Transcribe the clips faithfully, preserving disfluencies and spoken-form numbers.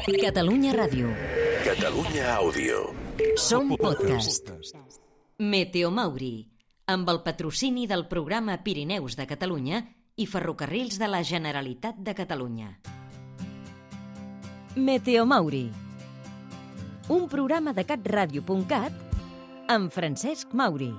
Catalunya Ràdio. Catalunya Àudio. Som podcast. Meteo Mauri, amb el patrocini del programa Pirineus de Catalunya i Ferrocarrils de la Generalitat de Catalunya. Meteo Mauri, un programa de catradio punt cat amb Francesc Mauri.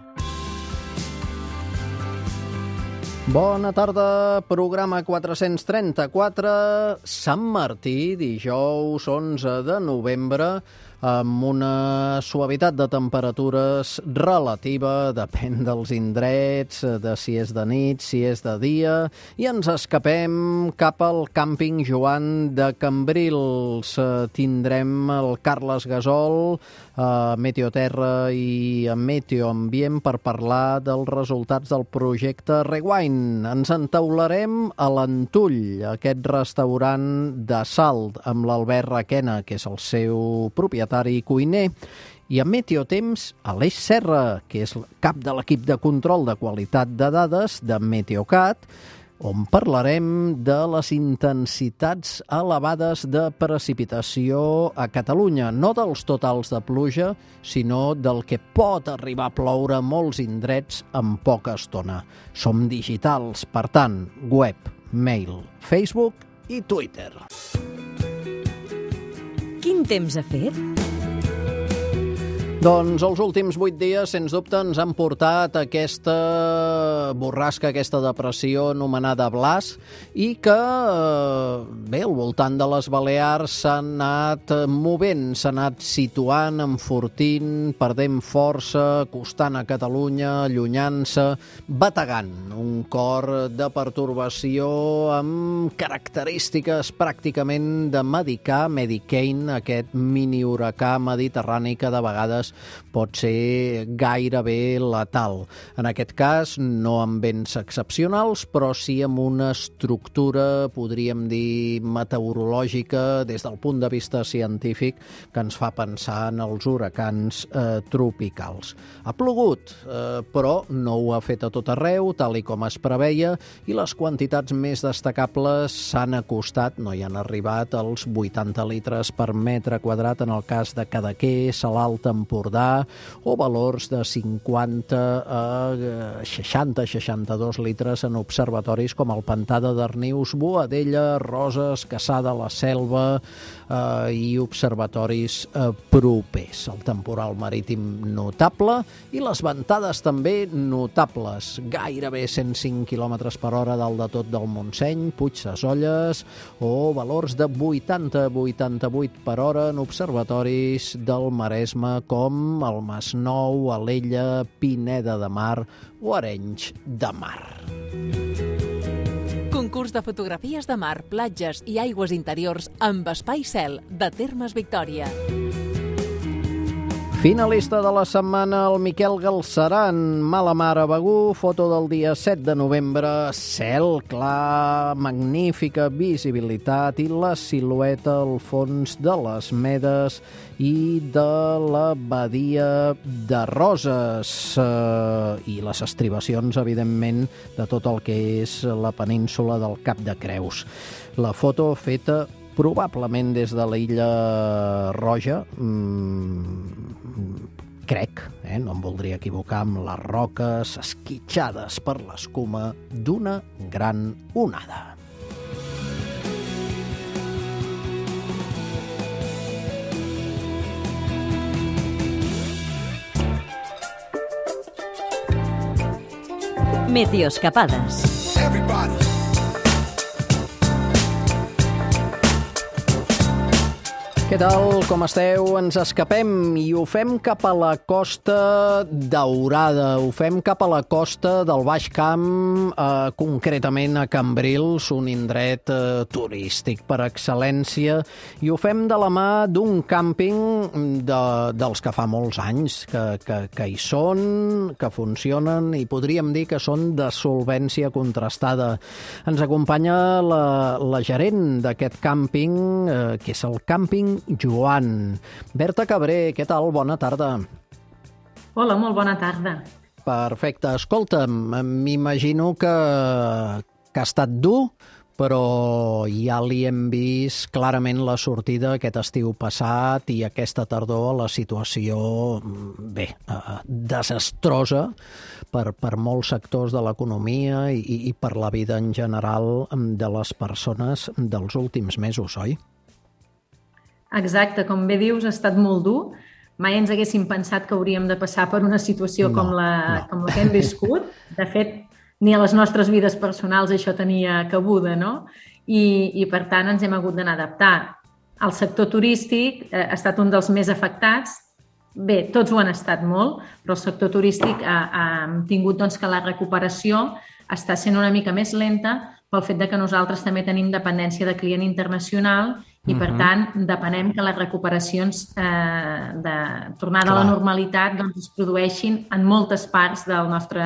Bona tarda, programa quatre-cents trenta-quatre, Sant Martí, dijous onze de novembre, amb una suavitat de temperatures relativa, depèn dels indrets, de si és de nit, si és de dia, i ens escapem cap al càmping Joan de Cambrils. Tindrem el Carles Gasol, a Meteoterra i a Meteoambient per parlar dels resultats del projecte Rewind. Ens entaularem a l'Antull, aquest restaurant de Salt, amb l'Albert Requena, que és el seu propietari i cuiner, i a Meteotemps a l'Eix Serra, que és cap de l'equip de control de qualitat de dades de Meteocat, on parlarem de les intensitats elevades de precipitació a Catalunya, no dels totals de pluja, sinó del que pot arribar a ploure a molts indrets en poca estona. Som digitals, per tant, web, mail, Facebook i Twitter. Quin temps ha fet? Doncs els últims vuit dies, sens dubte, ens han portat aquesta borrasca, aquesta depressió anomenada Blas, i que, bé, al voltant de les Balears s'ha anat movent, s'ha anat situant, enfortint, perdent força, costant a Catalunya, allunyant-se, bategant. Un cor de pertorbació amb característiques pràcticament de medicà, Medicane, aquest mini-huracà mediterrani que de vegades pot ser gairebé letal. En aquest cas, no amb vents excepcionals, però sí amb una estructura, podríem dir, meteorològica, des del punt de vista científic, que ens fa pensar en els huracans eh, tropicals. Ha plogut, eh, però no ho ha fet a tot arreu, tal i com es preveia, i les quantitats més destacables s'han acostat, no hi han arribat als vuitanta litres per metre quadrat en el cas de Cadaqués, Salalt, Empordà, o valors de cinquanta a seixanta a seixanta-dos litres en observatoris com el Pantà de Darnius, Boadella, Roses, Cassada, la Selva eh, i observatoris eh, propers. El temporal marítim notable i les ventades també notables, gairebé cent cinc quilòmetres per hora dalt de tot del Montseny, Puigsesolles, o valors de vuitanta a vuitanta-vuit per hora en observatoris del Maresme com el Masnou, Alella, Pineda de Mar o Arenys de Mar. Concurs de fotografies de mar, platges i aigües interiors amb espai cel de Termes Victòria. Finalista de la setmana, el Miquel Galceran, Mala Mar a Begur, foto del dia set de novembre, cel clar, magnífica visibilitat i la silueta al fons de les Medes i de la badia de Roses eh, i les estribacions, evidentment, de tot el que és la península del Cap de Creus. La foto feta probablement des de l'illa Roja, mmm, crec, eh, no em voldria equivocar, amb les roques esquitxades per l'escuma d'una gran onada. Meteoscapades. Everybody. Què tal? Com esteu? Ens escapem i ho fem cap a la Costa Daurada, ho fem cap a la costa del Baix Camp, eh, concretament a Cambrils, un indret eh, turístic per excel·lència, i ho fem de la mà d'un càmping de, dels que fa molts anys que, que, que hi són, que funcionen i podríem dir que són de solvència contrastada. Ens acompanya la, la gerent d'aquest càmping, eh, que és el càmping Joan. Berta Cabré, què tal? Bona tarda. Hola, molt bona tarda. Perfecte. Escolta'm, m'imagino que, que ha estat dur però ja li hem vist clarament la sortida aquest estiu passat i aquesta tardor a la situació, bé, desastrosa per, per molts sectors de l'economia i, i per la vida en general de les persones dels últims mesos, oi? Exacte, com bé dius, ha estat molt dur. Mai ens haguéssim pensat que hauríem de passar per una situació no, com, la, no. com la que hem viscut. De fet, ni a les nostres vides personals això tenia cabuda, no? I, i per tant, ens hem hagut d'anar a adaptar. El sector turístic eh, ha estat un dels més afectats. Bé, tots ho han estat molt, però el sector turístic ha, ha tingut doncs, que la recuperació està sent una mica més lenta pel fet de que nosaltres també tenim dependència de client internacional i, per uh-huh. tant, depenem que les recuperacions eh, de tornada Clar. a la normalitat doncs, es produeixin en moltes parts del nostre,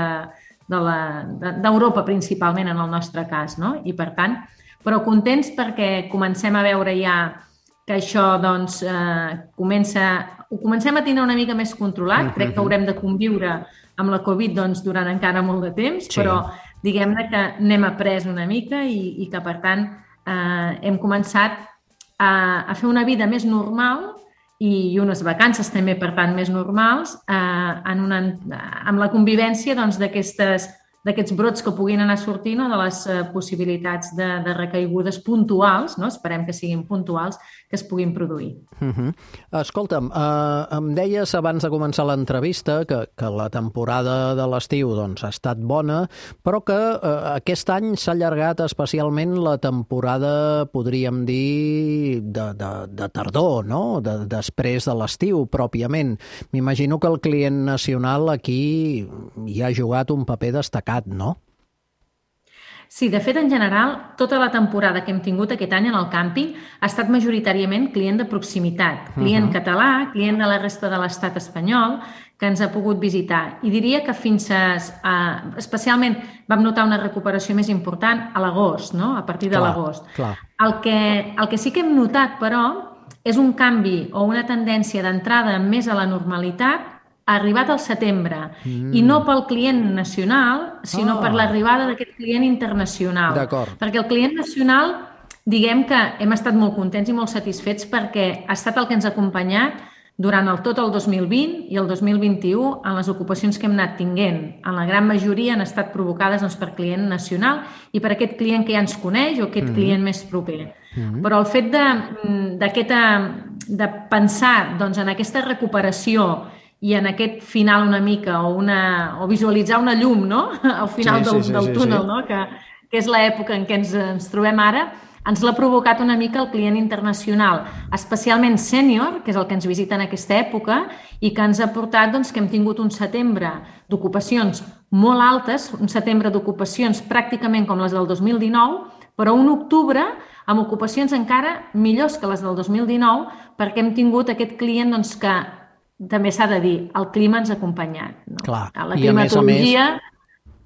de la, de, d'Europa, principalment, en el nostre cas, no? I, per tant, però contents perquè comencem a veure ja que això doncs, eh, comença, ho comencem a tenir una mica més controlat. Uh-huh. Crec que haurem de conviure amb la Covid doncs, durant encara molt de temps, sí. però diguem-ne que n'hem après una mica i, i que, per tant, eh, hem començat a, a fer una vida més normal i, i unes vacances també, per tant, més normals eh, en una, amb la convivència doncs, d'aquestes d'aquests brots que puguin anar sortint o de les eh, possibilitats de, de recaigudes puntuals, no? Esperem que siguin puntuals, que es puguin produir. Uh-huh. Escolta'm, eh, em deies abans de començar l'entrevista que, que la temporada de l'estiu doncs, ha estat bona, però que eh, aquest any s'ha allargat especialment la temporada, podríem dir, de, de, de tardor, no? De, després de l'estiu, pròpiament. M'imagino que el client nacional aquí hi ha jugat un paper destacat, no? Sí, de fet, en general, tota la temporada que hem tingut aquest any en el càmping ha estat majoritàriament client de proximitat, client uh-huh. català, client de la resta de l'estat espanyol, que ens ha pogut visitar. I diria que fins a... a especialment vam notar una recuperació més important a l'agost, no? A partir de clar, l'agost. Clar. El que, el que sí que hem notat, però, és un canvi o una tendència d'entrada més a la normalitat ha arribat al setembre, mm. i no pel client nacional, sinó oh. per l'arribada d'aquest client internacional. D'acord. Perquè el client nacional, diguem que hem estat molt contents i molt satisfets perquè ha estat el que ens ha acompanyat durant el, tot el dos mil vint i el dos mil vint-i-u en les ocupacions que hem anat tinguent. En la gran majoria han estat provocades doncs, per client nacional i per aquest client que ja ens coneix o aquest mm. client més proper. Mm. Però el fet de, d'aquesta, de pensar doncs, en aquesta recuperació i en aquest final una mica, o, una, o visualitzar una llum, no? Al final sí, del, sí, sí, del túnel, sí, sí. No? Que, que és l'època en què ens, ens trobem ara, ens l'ha provocat una mica el client internacional, especialment sènior, que és el que ens visita en aquesta època, i que ens ha portat doncs, que hem tingut un setembre d'ocupacions molt altes, un setembre d'ocupacions pràcticament com les del dos mil dinou, però un octubre amb ocupacions encara millors que les del dos mil dinou, perquè hem tingut aquest client doncs, que també s'ha de dir, el clima ens ha acompanyat. No? Clar. La climatologia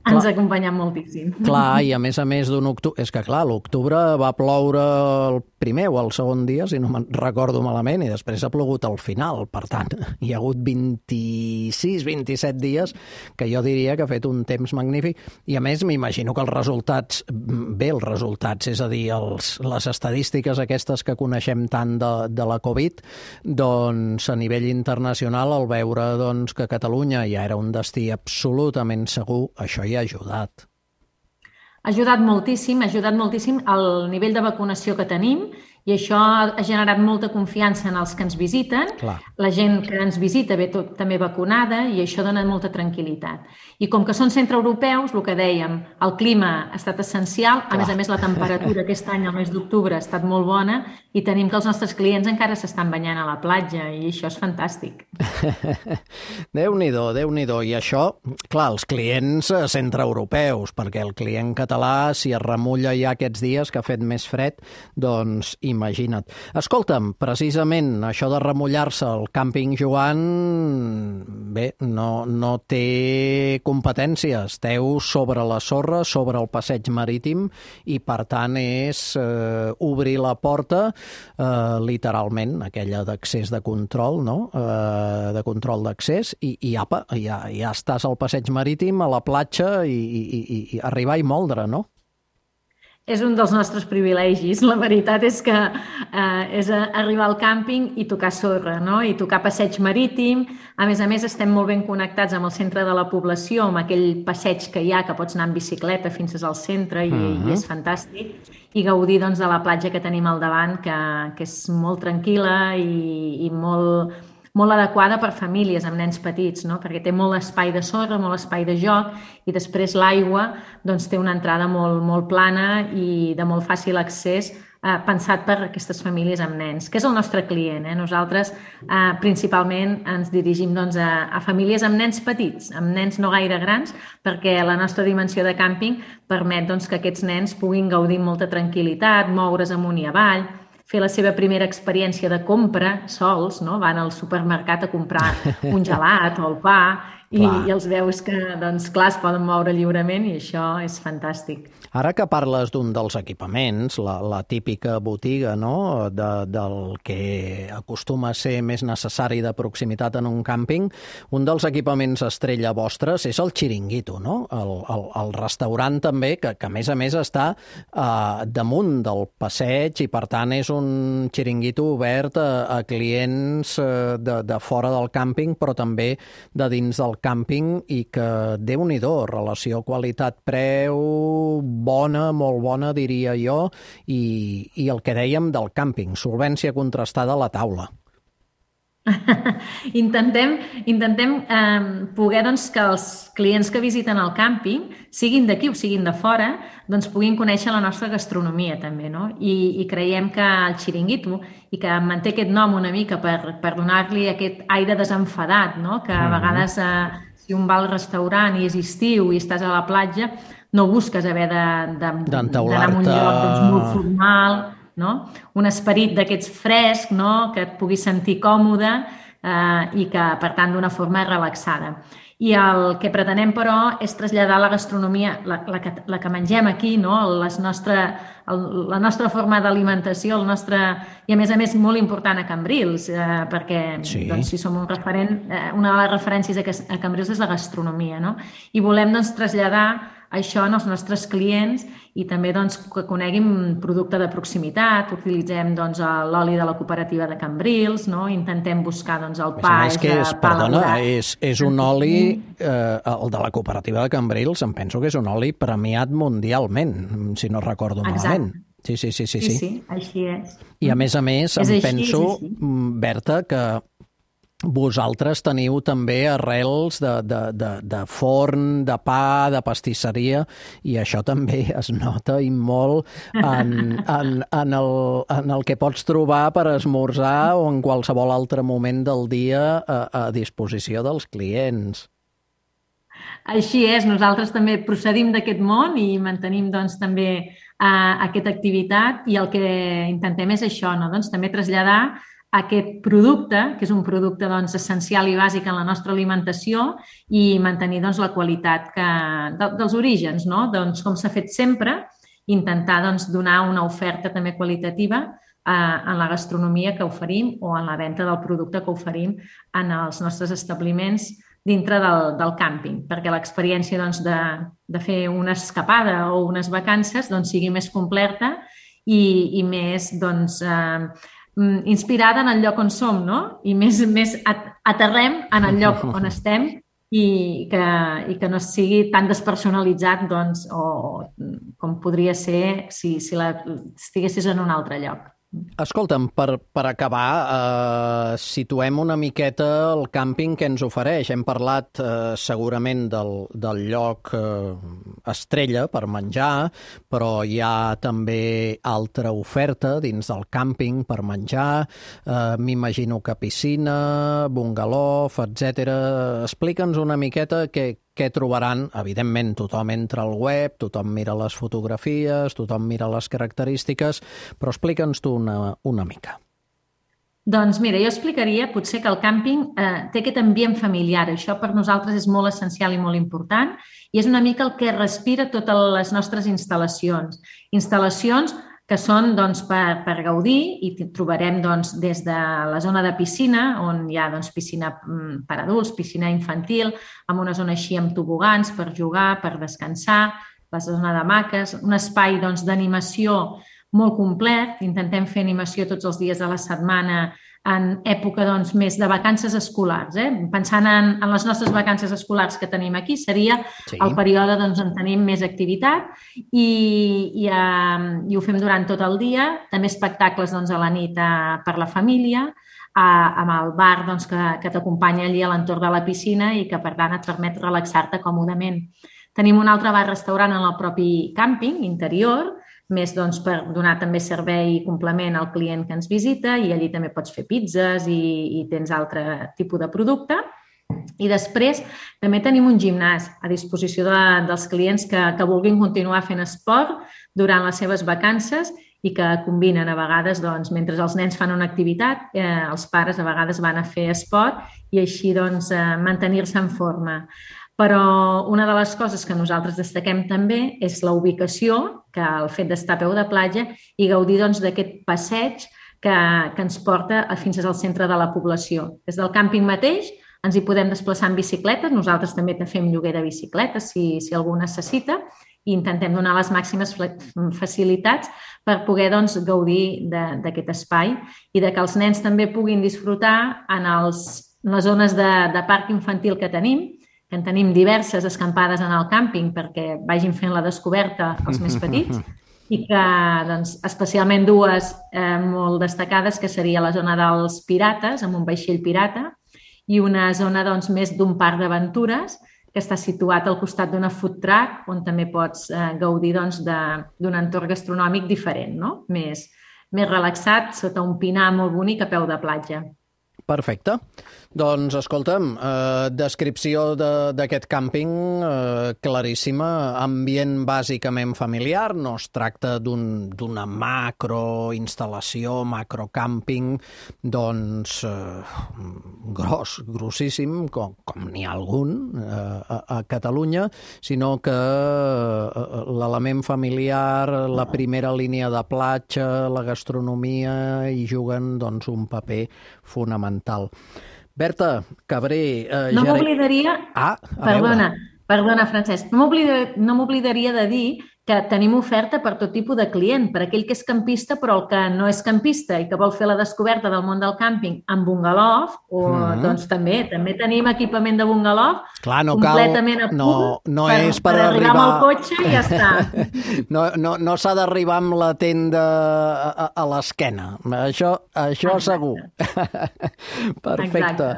ens ha acompanyat moltíssim. Clar, i a més a més d'un octubre... És que, clar, l'octubre va ploure el primer o el segon dia, si no me'n recordo malament, i després ha plogut al final. Per tant, hi ha hagut vint-i-sis, vint-i-set dies que jo diria que ha fet un temps magnífic. I a més, m'imagino que els resultats... Bé, els resultats, és a dir, els, les estadístiques aquestes que coneixem tant de, de la Covid, doncs, a nivell internacional, al veure doncs, que Catalunya ja era un destí absolutament segur, això hi ha ajudat. Ha ajudat moltíssim, ha ajudat moltíssim el nivell de vacunació que tenim i això ha generat molta confiança en els que ens visiten. Clar. La gent que ens visita ve tot, també vacunada i això dona molta tranquil·litat. I com que són centreeuropeus, el que dèiem, el clima ha estat essencial, a Clar. més a més la temperatura aquest any, al mes d'octubre, ha estat molt bona i tenim que els nostres clients encara s'estan banyant a la platja i això és fantàstic. Déu-n'hi-do, Déu-n'hi-do. I això, clar, els clients centreeuropeus, perquè el client català, si es remulla ja aquests dies que ha fet més fred, doncs imagina't. Escolta'm, precisament això de remullar-se al càmping Joan, bé, no, no té competències. Esteu sobre la sorra, sobre el passeig marítim i, per tant, és eh, obrir la porta, eh, literalment, aquella d'accés de control, no? Eh, de control d'accés, i, i apa, ja, ja estàs al passeig marítim, a la platja, i, i, i arribar i moldre, no? És un dels nostres privilegis. La veritat és que eh, és arribar al càmping i tocar sorra, no? I tocar passeig marítim. A més a més, estem molt ben connectats amb el centre de la població, amb aquell passeig que hi ha, que pots anar en bicicleta fins al centre i, uh-huh. i és fantàstic. I gaudir doncs, de la platja que tenim al davant, que, que és molt tranquil·la i, i molt, molt adequada per famílies amb nens petits, no? Perquè té molt espai de sorra, molt espai de joc i després l'aigua doncs, té una entrada molt, molt plana i de molt fàcil accés, eh, pensat per aquestes famílies amb nens, que és el nostre client. Eh? Nosaltres eh, principalment ens dirigim doncs, a, a famílies amb nens petits, amb nens no gaire grans, perquè la nostra dimensió de càmping permet doncs, que aquests nens puguin gaudir amb molta tranquil·litat, moure's amunt i avall, fer la seva primera experiència de compra sols, no? Van al supermercat a comprar un gelat o el pa i, i els veus que, doncs, clar, es poden moure lliurement i això és fantàstic. Ara que parles d'un dels equipaments, la, la típica botiga, no?, de, del que acostuma a ser més necessari de proximitat en un càmping, un dels equipaments estrella vostres és el xiringuito, no? El, el, el restaurant també, que, que a més a més està eh, damunt del passeig i per tant és un xiringuito obert a, a clients eh, de, de fora del càmping però també de dins del càmping i que, déu-n'hi-do, relació qualitat-preu bona, molt bona, diria jo, i, i el que dèiem del càmping, solvència contrastada a la taula. intentem intentem eh, poder doncs, que els clients que visiten el càmping, siguin d'aquí o siguin de fora, doncs puguin conèixer la nostra gastronomia també, no? I, i creiem que el xiringuito, i que manté aquest nom una mica per, per donar-li aquest aire desenfadat, no? Que a vegades eh, si un va al restaurant i és estiu i estàs a la platja, no busques haver d'anar a un lloc doncs, molt formal, no? Un esperit d'aquests fresc, no? Que et puguis sentir còmode eh, i que, per tant, d'una forma relaxada. I el que pretenem, però, és traslladar la gastronomia, la, la, que, la que mengem aquí, no? Les nostre, el, la nostra forma d'alimentació, el nostre... I, a més a més, molt important a Cambrils, eh, perquè sí. doncs, si som un referent, eh, una de les referències a, a Cambrils és la gastronomia, no? I volem doncs, traslladar això en els nostres clients i també doncs, que coneguin producte de proximitat, utilitzem doncs, l'oli de la cooperativa de Cambrils, no? Intentem buscar doncs, el pa... És que és, perdona, és, és un oli, eh, el de la cooperativa de Cambrils, em penso que és un oli premiat mundialment, si no recordo malament. Sí, sí, sí, sí, sí. Sí, sí, així és. I a més a més, em així, penso, Berta, que vosaltres teniu també arrels de, de, de, de forn, de pa, de pastisseria, i això també es nota i molt en, en, en, el, en el que pots trobar per esmorzar o en qualsevol altre moment del dia a, a disposició dels clients. Així és, nosaltres també procedim d'aquest món i mantenim doncs, també uh, aquesta activitat i el que intentem és això, no? Doncs, també traslladar aquest producte, que és un producte doncs, essencial i bàsic en la nostra alimentació i mantenir doncs, la qualitat que, de, dels orígens, no? Doncs, com s'ha fet sempre, intentar doncs, donar una oferta també qualitativa eh, en la gastronomia que oferim o en la venda del producte que oferim en els nostres establiments dintre del, del càmping, perquè l'experiència doncs, de, de fer una escapada o unes vacances doncs, sigui més completa i, i més doncs, eh, inspirada en el lloc on som, no? I més, més aterrem en el lloc on estem i que, i que no sigui tan despersonalitzat doncs, o com podria ser si, si la, estiguessis en un altre lloc. Escolta'm, per, per acabar, eh, situem una miqueta el càmping que ens ofereix. Hem parlat eh, segurament del, del lloc eh, estrella per menjar, però hi ha també altra oferta dins del càmping per menjar. Eh, M'imagino que piscina, bungalow, etcètera. Explica'ns una miqueta què, què trobaran. Evidentment, tothom entra al web, tothom mira les fotografies, tothom mira les característiques, però explica'ns tu una, una mica. Doncs mira, jo explicaria potser que el càmping eh, té aquest ambient familiar. Això per nosaltres és molt essencial i molt important i és una mica el que respira totes les nostres instal·lacions. Instal·lacions que són doncs, per, per gaudir i trobarem doncs, des de la zona de piscina, on hi ha doncs, piscina per adults, piscina infantil, amb una zona així amb tobogans per jugar, per descansar, la zona de maques, un espai doncs, d'animació molt complet. Intentem fer animació tots els dies de la setmana en època doncs, més de vacances escolars. Eh? Pensant en, en les nostres vacances escolars que tenim aquí, seria sí. el període doncs, on tenim més activitat i, i, eh, i ho fem durant tot el dia. També espectacles doncs, a la nit eh, per la família, eh, amb el bar doncs, que, que t'acompanya allí a l'entorn de la piscina i que, per tant, et permet relaxar-te còmodament. Tenim un altre bar-restaurant en el propi càmping interior, més doncs, per donar també servei i complement al client que ens visita i allí també pots fer pizzas i, i tens altre tipus de producte. I després també tenim un gimnàs a disposició de, dels clients que, que vulguin continuar fent esport durant les seves vacances i que combinen a vegades, doncs, mentre els nens fan una activitat, eh, els pares a vegades van a fer esport i així doncs, eh, mantenir-se en forma. Però una de les coses que nosaltres destaquem també és la ubicació, que el fet d'estar a peu de platja i gaudir doncs, d'aquest passeig que, que ens porta fins al centre de la població. Des del càmping mateix ens hi podem desplaçar en bicicletes, nosaltres també fem lloguer de bicicletes si, si algú necessita i intentem donar les màximes facilitats per poder doncs, gaudir d'aquest espai i de que els nens també puguin disfrutar en, els, en les zones de, de parc infantil que tenim, que en tenim diverses escampades en el càmping perquè vagin fent la descoberta els més petits i que doncs, especialment dues eh, molt destacades, que seria la zona dels pirates, amb un vaixell pirata, i una zona doncs, més d'un parc d'aventures que està situat al costat d'una food truck on també pots eh, gaudir doncs, d'un entorn gastronòmic diferent, no? més, més relaxat, sota un pinar molt bonic a peu de platja. Perfecte. Doncs, escolta'm, eh, descripció d'aquest càmping eh, claríssima, ambient bàsicament familiar, no es tracta d'una un, macroinstal·lació, macrocàmping, doncs, eh, gros, grossíssim, com, com n'hi ha algun eh, a, a Catalunya, sinó que eh, l'element familiar, la primera línia de platja, la gastronomia, hi juguen doncs, un paper fonamental. Berta Cabré... Eh, no m'oblidaria... Ah, perdona, perdona, Francesc. No m'oblidaria de dir que tenim oferta per tot tipus de client, per aquell que és campista però el que no és campista i que vol fer la descoberta del món del càmping amb bungalov, o mm-hmm. doncs també també tenim equipament de bungalov Clar, no completament cal, a punt no, no per, és per, per arribar amb el cotxe i ja està. no no, no s'ha d'arribar amb la tenda a, a l'esquena. Això, això segur. Perfecte. Exacte.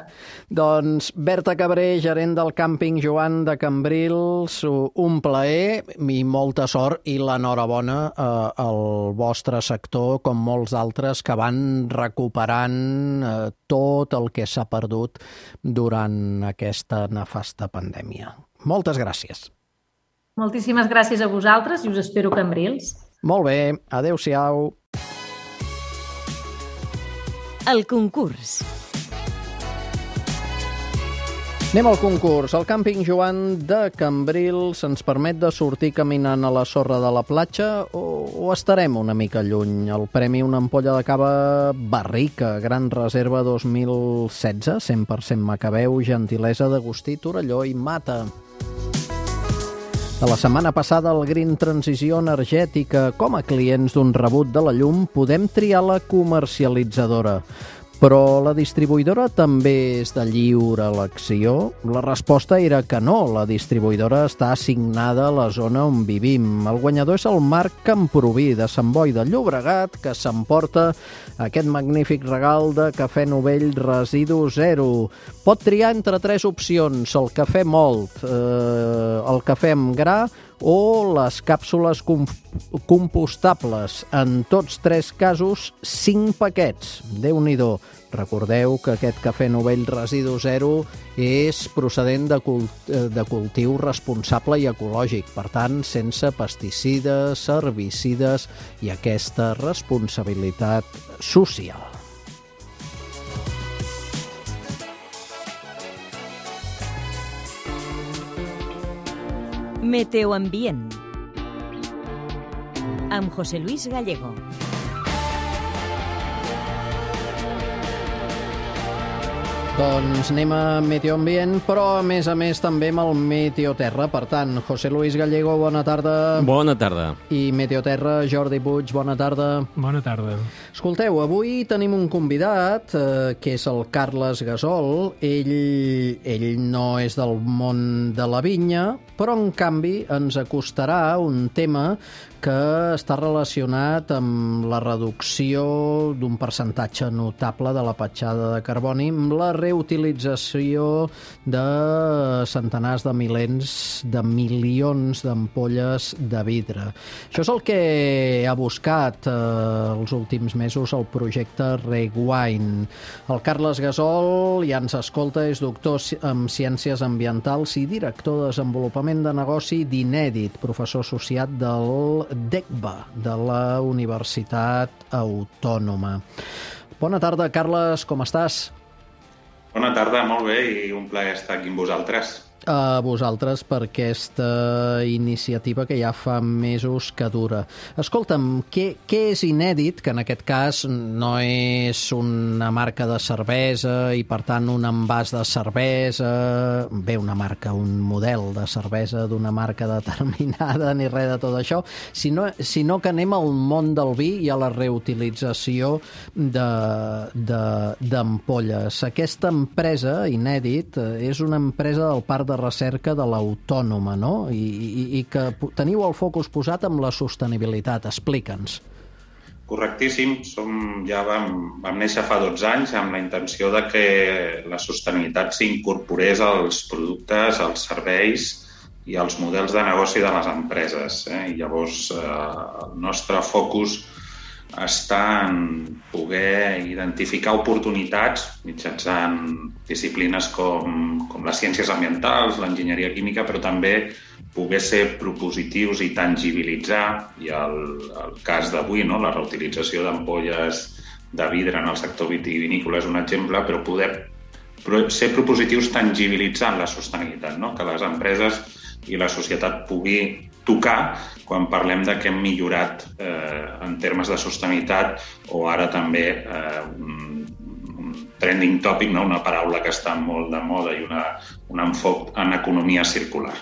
Doncs Berta Cabré, gerent del càmping Joan de Cambrils, un plaer i molta sort i l'enhorabona eh, al vostre sector, com molts altres que van recuperant eh, tot el que s'ha perdut durant aquesta nefasta pandèmia. Moltes gràcies. Moltíssimes gràcies a vosaltres i us espero a Cambrils. Molt bé, adéu-siau. El concurs. Anem al concurs. El càmping Joan de Cambrils ens permet de sortir caminant a la sorra de la platja o, o estarem una mica lluny? El premi una ampolla de cava Barrica, Gran Reserva dos mil setze, cent per cent Macabeu, gentilesa d'Agustí Torelló i Mata. De la setmana passada, el Green Transició Energètica. Com a clients d'un rebut de la llum podem triar la comercialitzadora. Però la distribuïdora també és de lliure elecció? La resposta era que no. La distribuïdora està assignada a la zona on vivim. El guanyador és el Marc Camproví, de Sant Boi de Llobregat, que s'emporta aquest magnífic regal de cafè novell residu zero. Pot triar entre tres opcions: el cafè molt, eh, el cafè amb gra o les càpsules compostables. En tots tres casos, cinc paquets. Déu-n'hi-do. Recordeu que aquest cafè novell residu zero és procedent de, cult de cultiu responsable i ecològic, per tant, sense pesticides, herbicides i aquesta responsabilitat social. Meteoambient amb José Luis Gallego. Doncs anem a Meteoambient, però a més a més també amb el Meteoterra. Per tant, José Luis Gallego, bona tarda. Bona tarda. I Meteoterra, Jordi Puig, bona tarda. Bona tarda. Escolteu, avui tenim un convidat, eh, que és el Carles Gasol. Ell, ell no és del món de la vinya, però en canvi ens acostarà un tema que està relacionat amb la reducció d'un percentatge notable de la petjada de carboni, amb la reutilització de centenars de milers de milions d'ampolles de vidre. Això és el que ha buscat eh, els últims mesos el projecte Rewind. El Carles Gasol ja ens escolta, és doctor en Ciències Ambientals i director de Desenvolupament de Negoci d'Inèdit, professor associat del D E C B A, de la Universitat Autònoma. Bona tarda, Carles, com estàs? Bona tarda, molt bé, i un plaer estar aquí amb vosaltres. A vosaltres per aquesta iniciativa que ja fa mesos que dura. Escolta'm, què, què és Inèdit, que en aquest cas no és una marca de cervesa i per tant un envàs de cervesa, bé, una marca, un model de cervesa d'una marca determinada ni res de tot això, sinó, sinó que anem al món del vi i a la reutilització d'ampolles. Aquesta empresa, Inèdit, és una empresa del Parc de Recerca de l'Autònoma, no? I, i, i que teniu el focus posat en la sostenibilitat. Explica'ns. Correctíssim. Som, ja vam, vam néixer fa dotze anys amb la intenció de que la sostenibilitat s'incorporés als productes, als serveis i als models de negoci de les empreses. Eh? I llavors eh, el nostre focus està en poder identificar oportunitats mitjançant disciplines com, com les ciències ambientals, l'enginyeria química, però també poder ser propositius i tangibilitzar, i el, el cas d'avui, no? La reutilització d'ampolles de vidre en el sector vitivinícola és un exemple, però poder ser propositius tangibilitzant la sostenibilitat, no? Que les empreses i la societat pugui tocar quan parlem de que hem millorat eh, en termes de sostenibilitat, o ara també eh, un, un trending topic, no? Una paraula que està molt de moda i una, un enfoc en economia circular.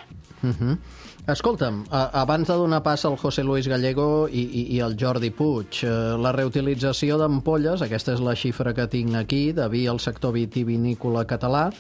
Uh-huh. Escolta'm, abans de donar pas al José Luis Gallego i, i, i al Jordi Puig, la reutilització d'ampolles, aquesta és la xifra que tinc aquí, de vi al sector vitivinícola català,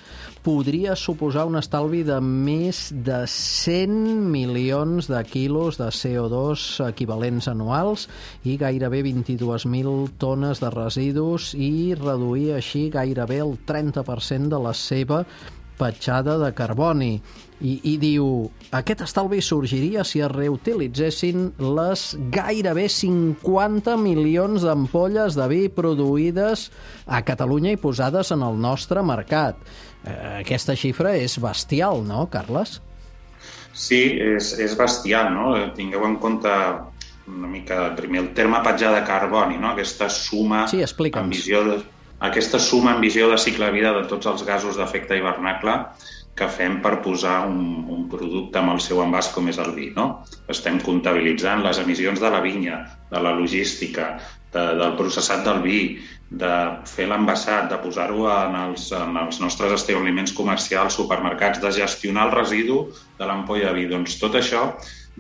podria suposar un estalvi de més de cent milions de quilos de C O dos equivalents anuals i gairebé vint-i-dues mil tones de residus, i reduir així gairebé el trenta per cent de la seva petjada de carboni. I, i diu, aquest estalvi sorgiria si es reutilitzessin les gairebé cinquanta milions d'ampolles de vi produïdes a Catalunya i posades en el nostre mercat. Eh, aquesta xifra és bestial, no, Carles? Sí, és, és bestial, no? Tingueu en compte una mica, primer, el terme petjada de carboni, no? Aquesta suma sí, explica'ns. en visió de, aquesta suma en visió de cicle de vida de tots els gasos d'efecte hivernacle que fem per posar un, un producte amb el seu envàs com és el vi, no? Estem comptabilitzant les emissions de la vinya, de la logística, de, del processat del vi, de fer l'envasat, de posar-ho en, els, en els nostres establiments comercials, supermercats, de gestionar el residu de l'ampolla de vi. Doncs tot això,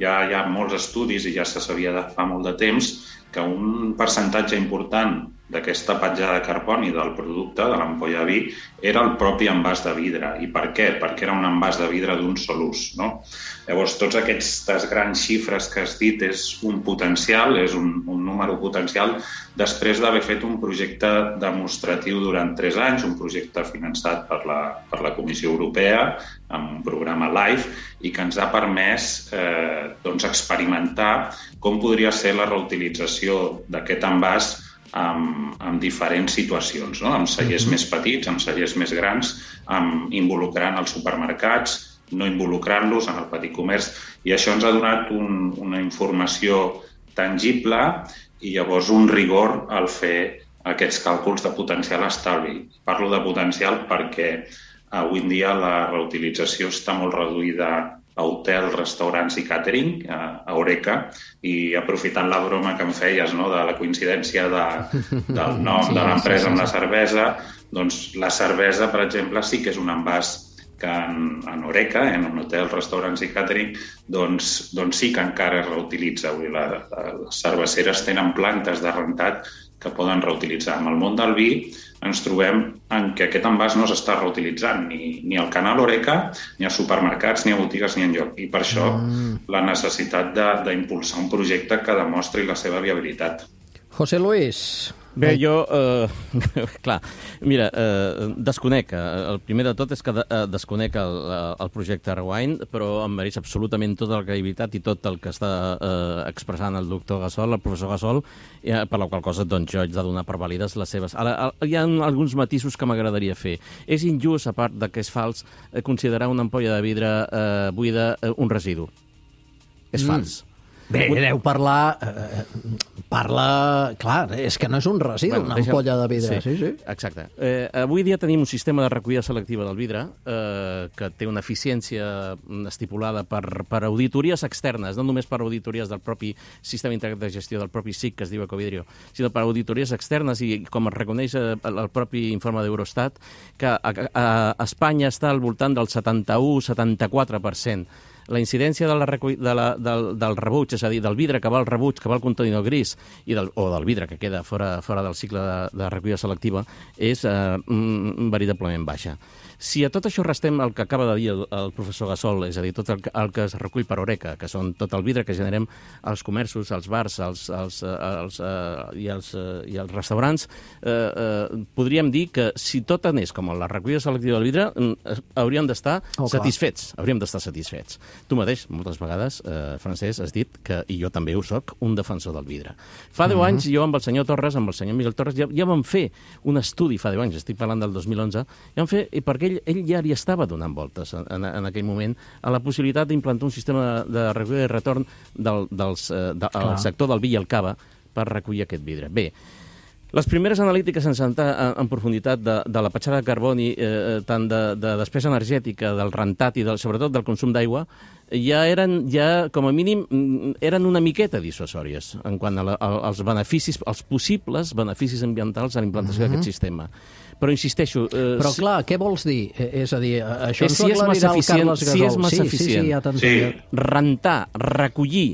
ja hi ha molts estudis i ja se sabia de fa molt de temps que un percentatge important d'aquesta petjada de carboni del producte, de l'ampolla de vi, era el propi envàs de vidre. I per què? Perquè era un envàs de vidre d'un sol ús, no? Llavors, tots aquestes grans xifres que has dit és un potencial, és un, un número potencial, després d'haver fet un projecte demostratiu durant tres anys, un projecte finançat per la, per la Comissió Europea, amb un programa LIFE, i que ens ha permès eh, doncs, experimentar com podria ser la reutilització d'aquest envàs amb, amb diferents situacions, no? Amb cellers més petits, amb cellers més grans, amb involucrant els supermercats, no involucrant-los en el petit comerç, i això ens ha donat un, una informació tangible i llavors un rigor al fer aquests càlculs de potencial estalvi. Parlo de potencial perquè avui en dia la reutilització està molt reduïda a hotels, restaurants i càtering, a Eureka, i aprofitant la broma que em feies, no?, de la coincidència de, del nom sí, de l'empresa sí, sí, amb la cervesa, doncs la cervesa, per exemple, sí que és un envàs que en, en Eureka, en un hotel, restaurants i càtering, doncs, doncs sí que encara es reutilitza. Vull dir, la, la, les cerveceres tenen plantes de rentat que poden reutilitzar. En el món del vi ens trobem en que aquest envàs no s'està reutilitzant ni, ni al canal Eureka, ni als supermercats, ni a botigues, ni enlloc. I per això mm. la necessitat d'impulsar un projecte que demostri la seva viabilitat. José Luis... Bé, jo, eh, clar, mira, eh, desconec, el primer de tot és que de, eh, desconec el, el projecte Rewind, però em mereix absolutament tota la credibilitat i tot el que està eh, expressant el doctor Gassol, el professor Gassol, eh, per la qual cosa doncs, jo haig de donar per vàlides les seves. Ara, hi ha alguns matisos que m'agradaria fer. És injust, a part de que és fals, eh, considerar una ampolla de vidre eh, buida eh, un residu. És mm. fals. Bé, deu parlar... Eh, parla... Clar, és que no és un residu, bueno, una deixa... ampolla de vidre. Sí, sí. sí. Exacte. Eh, avui dia tenim un sistema de recollida selectiva del vidre eh, que té una eficiència estipulada per, per auditories externes, no només per auditories del propi sistema integrat de gestió del propi S I C, que es diu Ecovidrio, sinó per auditories externes i, com es reconeix el, el propi informe d'Eurostat, que a, a, a Espanya està al voltant del setanta-u a setanta-quatre per cent. La incidència de la recull... de la, del, del rebuig, és a dir, del vidre que va al rebuig, que va al contenidor gris, i del, o del vidre que queda fora, fora del cicle de, de recollida selectiva, és eh, veritablement baixa. Si a tot això restem el que acaba de dir el, el professor Gassol, és a dir, tot el, el que es recull per Eureka, que són tot el vidre que generem als comerços, als bars als, als, als, uh, i, als, uh, i als restaurants, eh, uh, podríem dir que si tot anés com la recollida selectiva del vidre, uh, hauríem d'estar oh, satisfets. Hauríem d'estar satisfets. Tu mateix, moltes vegades, eh, Francesc, has dit que, i jo també ho soc, un defensor del vidre. Fa deu mm-hmm. anys, jo amb el senyor Torres, amb el senyor Miguel Torres, ja, ja vam fer un estudi, fa deu anys, estic parlant del dos mil onze, ja vam fer, i perquè ell, ell ja hi estava donant voltes en, en, en aquell moment a la possibilitat d'implantar un sistema de, de recollida i retorn del, dels, eh, de, al sector del vi i el cava per recollir aquest vidre. Bé, les primeres analítiques sense entrar en, en profunditat de, de la petjada de carboni, eh, tant de, de despesa energètica, del rentat i del, sobretot del consum d'aigua, ja eren, ja, com a mínim, eren una miqueta dissuasòries en quant a la, als beneficis, als possibles beneficis ambientals a la implantació mm-hmm. d'aquest sistema. Però insisteixo... Eh, Però clar, què vols dir? És a dir, això ens ho aclarirà el Carles Gasol. Si és massa sí, eficient, sí, sí, ja t'entenc. Rentar, recollir,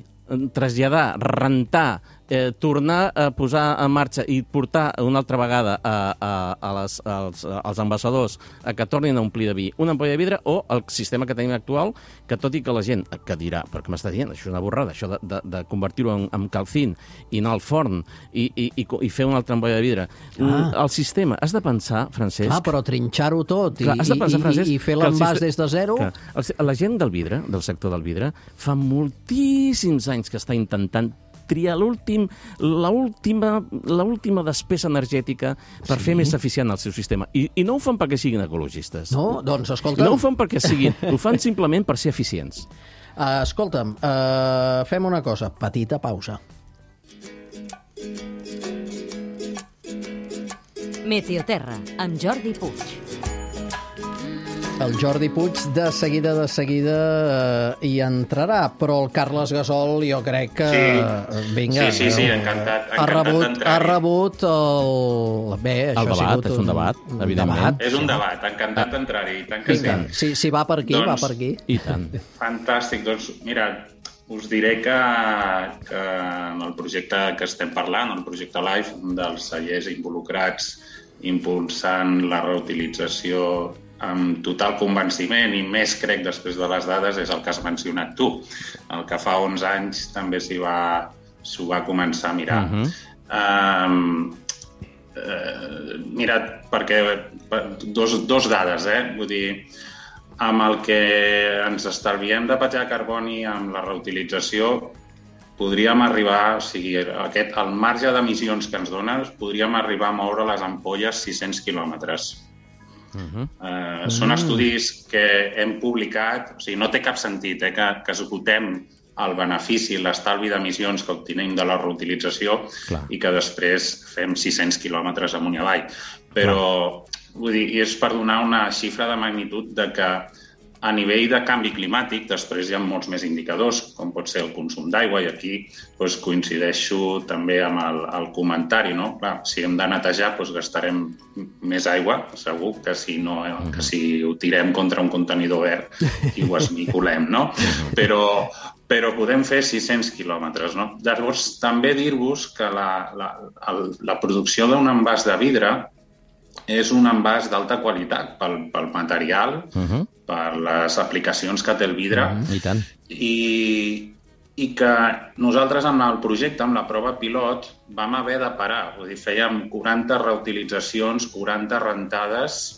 traslladar, rentar, eh, tornar a posar en marxa i portar una altra vegada a, a, a les, als, als envasadors a que tornin a omplir de vi una ampolla de vidre, o el sistema que tenim actual, que tot i que la gent que dirà, però què m'està dient? Això és una borrada, això de, de, de convertir-ho en, en calcín i anar al forn i, i, i, i fer una altra ampolla de vidre. Ah. El sistema, has de pensar, Francesc... Ah, però trinxar-ho tot i, clar, has de pensar, Francesc, i, i fer l'envàs des de zero... Clar, el, la gent del vidre, del sector del vidre, fa moltíssims anys que està intentant triar l'últim, l'última, l'última despesa energètica per sí. fer més eficient el seu sistema. I, I no ho fan perquè siguin ecologistes. No, doncs escolta'm... No ho fan perquè siguin, ho fan simplement per ser eficients. Uh, escolta'm, uh, fem una cosa, petita pausa. Meteoterra, amb Jordi Puig. El Jordi Puig de seguida, de seguida eh, hi entrarà, però el Carles Gasol jo crec que... Sí, vinga, sí, sí, sí, encantat, encantat ha rebut, ha rebut el... Bé, això el debat, ha sigut és un debat, un evidentment. Debat. És un debat, encantat d'entrar-hi, i tant que sí. Si, si va per aquí, doncs, va per aquí. I tant. Fantàstic, doncs mira, us diré que, que en el projecte que estem parlant, el projecte LIFE, un dels cellers involucrats impulsant la reutilització amb total convenciment, i més crec després de les dades, és el que has mencionat tu. El que fa onze anys també s'hi va, s'ho va començar a mirar. Uh-huh. um, uh, mira, perquè dos, dos dades, eh? Vull dir, amb el que ens estalviem de petjar carboni amb la reutilització, podríem arribar, o sigui, aquest, el marge d'emissions que ens dona, podríem arribar a moure les ampolles sis cents quilòmetres. Uh-huh. Uh, són estudis que hem publicat, o sigui, no té cap sentit eh, que, que esgotem el benefici, l'estalvi d'emissions que obtenim de la reutilització. Clar. I que després fem sis cents quilòmetres amunt i avall. Però, vull dir, és per donar una xifra de magnitud de que A nivell de canvi climàtic, després hi ha molts més indicadors, com pot ser el consum d'aigua, i aquí doncs, coincideixo també amb el, el comentari. No? Clar, si hem de netejar, doncs, gastarem més aigua, segur, que si, no, que si ho tirem contra un contenidor verd i ho esmicolem. No? Però, però podem fer sis-cents quilòmetres. No? Llavors, també dir-vos que la, la, el, la producció d'un envàs de vidre és un envàs d'alta qualitat pel, pel material, uh-huh. per les aplicacions que té el vidre, uh-huh. I tant. I, i que nosaltres amb el projecte, amb la prova pilot, vam haver de parar. Vull dir, fèiem quaranta reutilitzacions, quaranta rentades,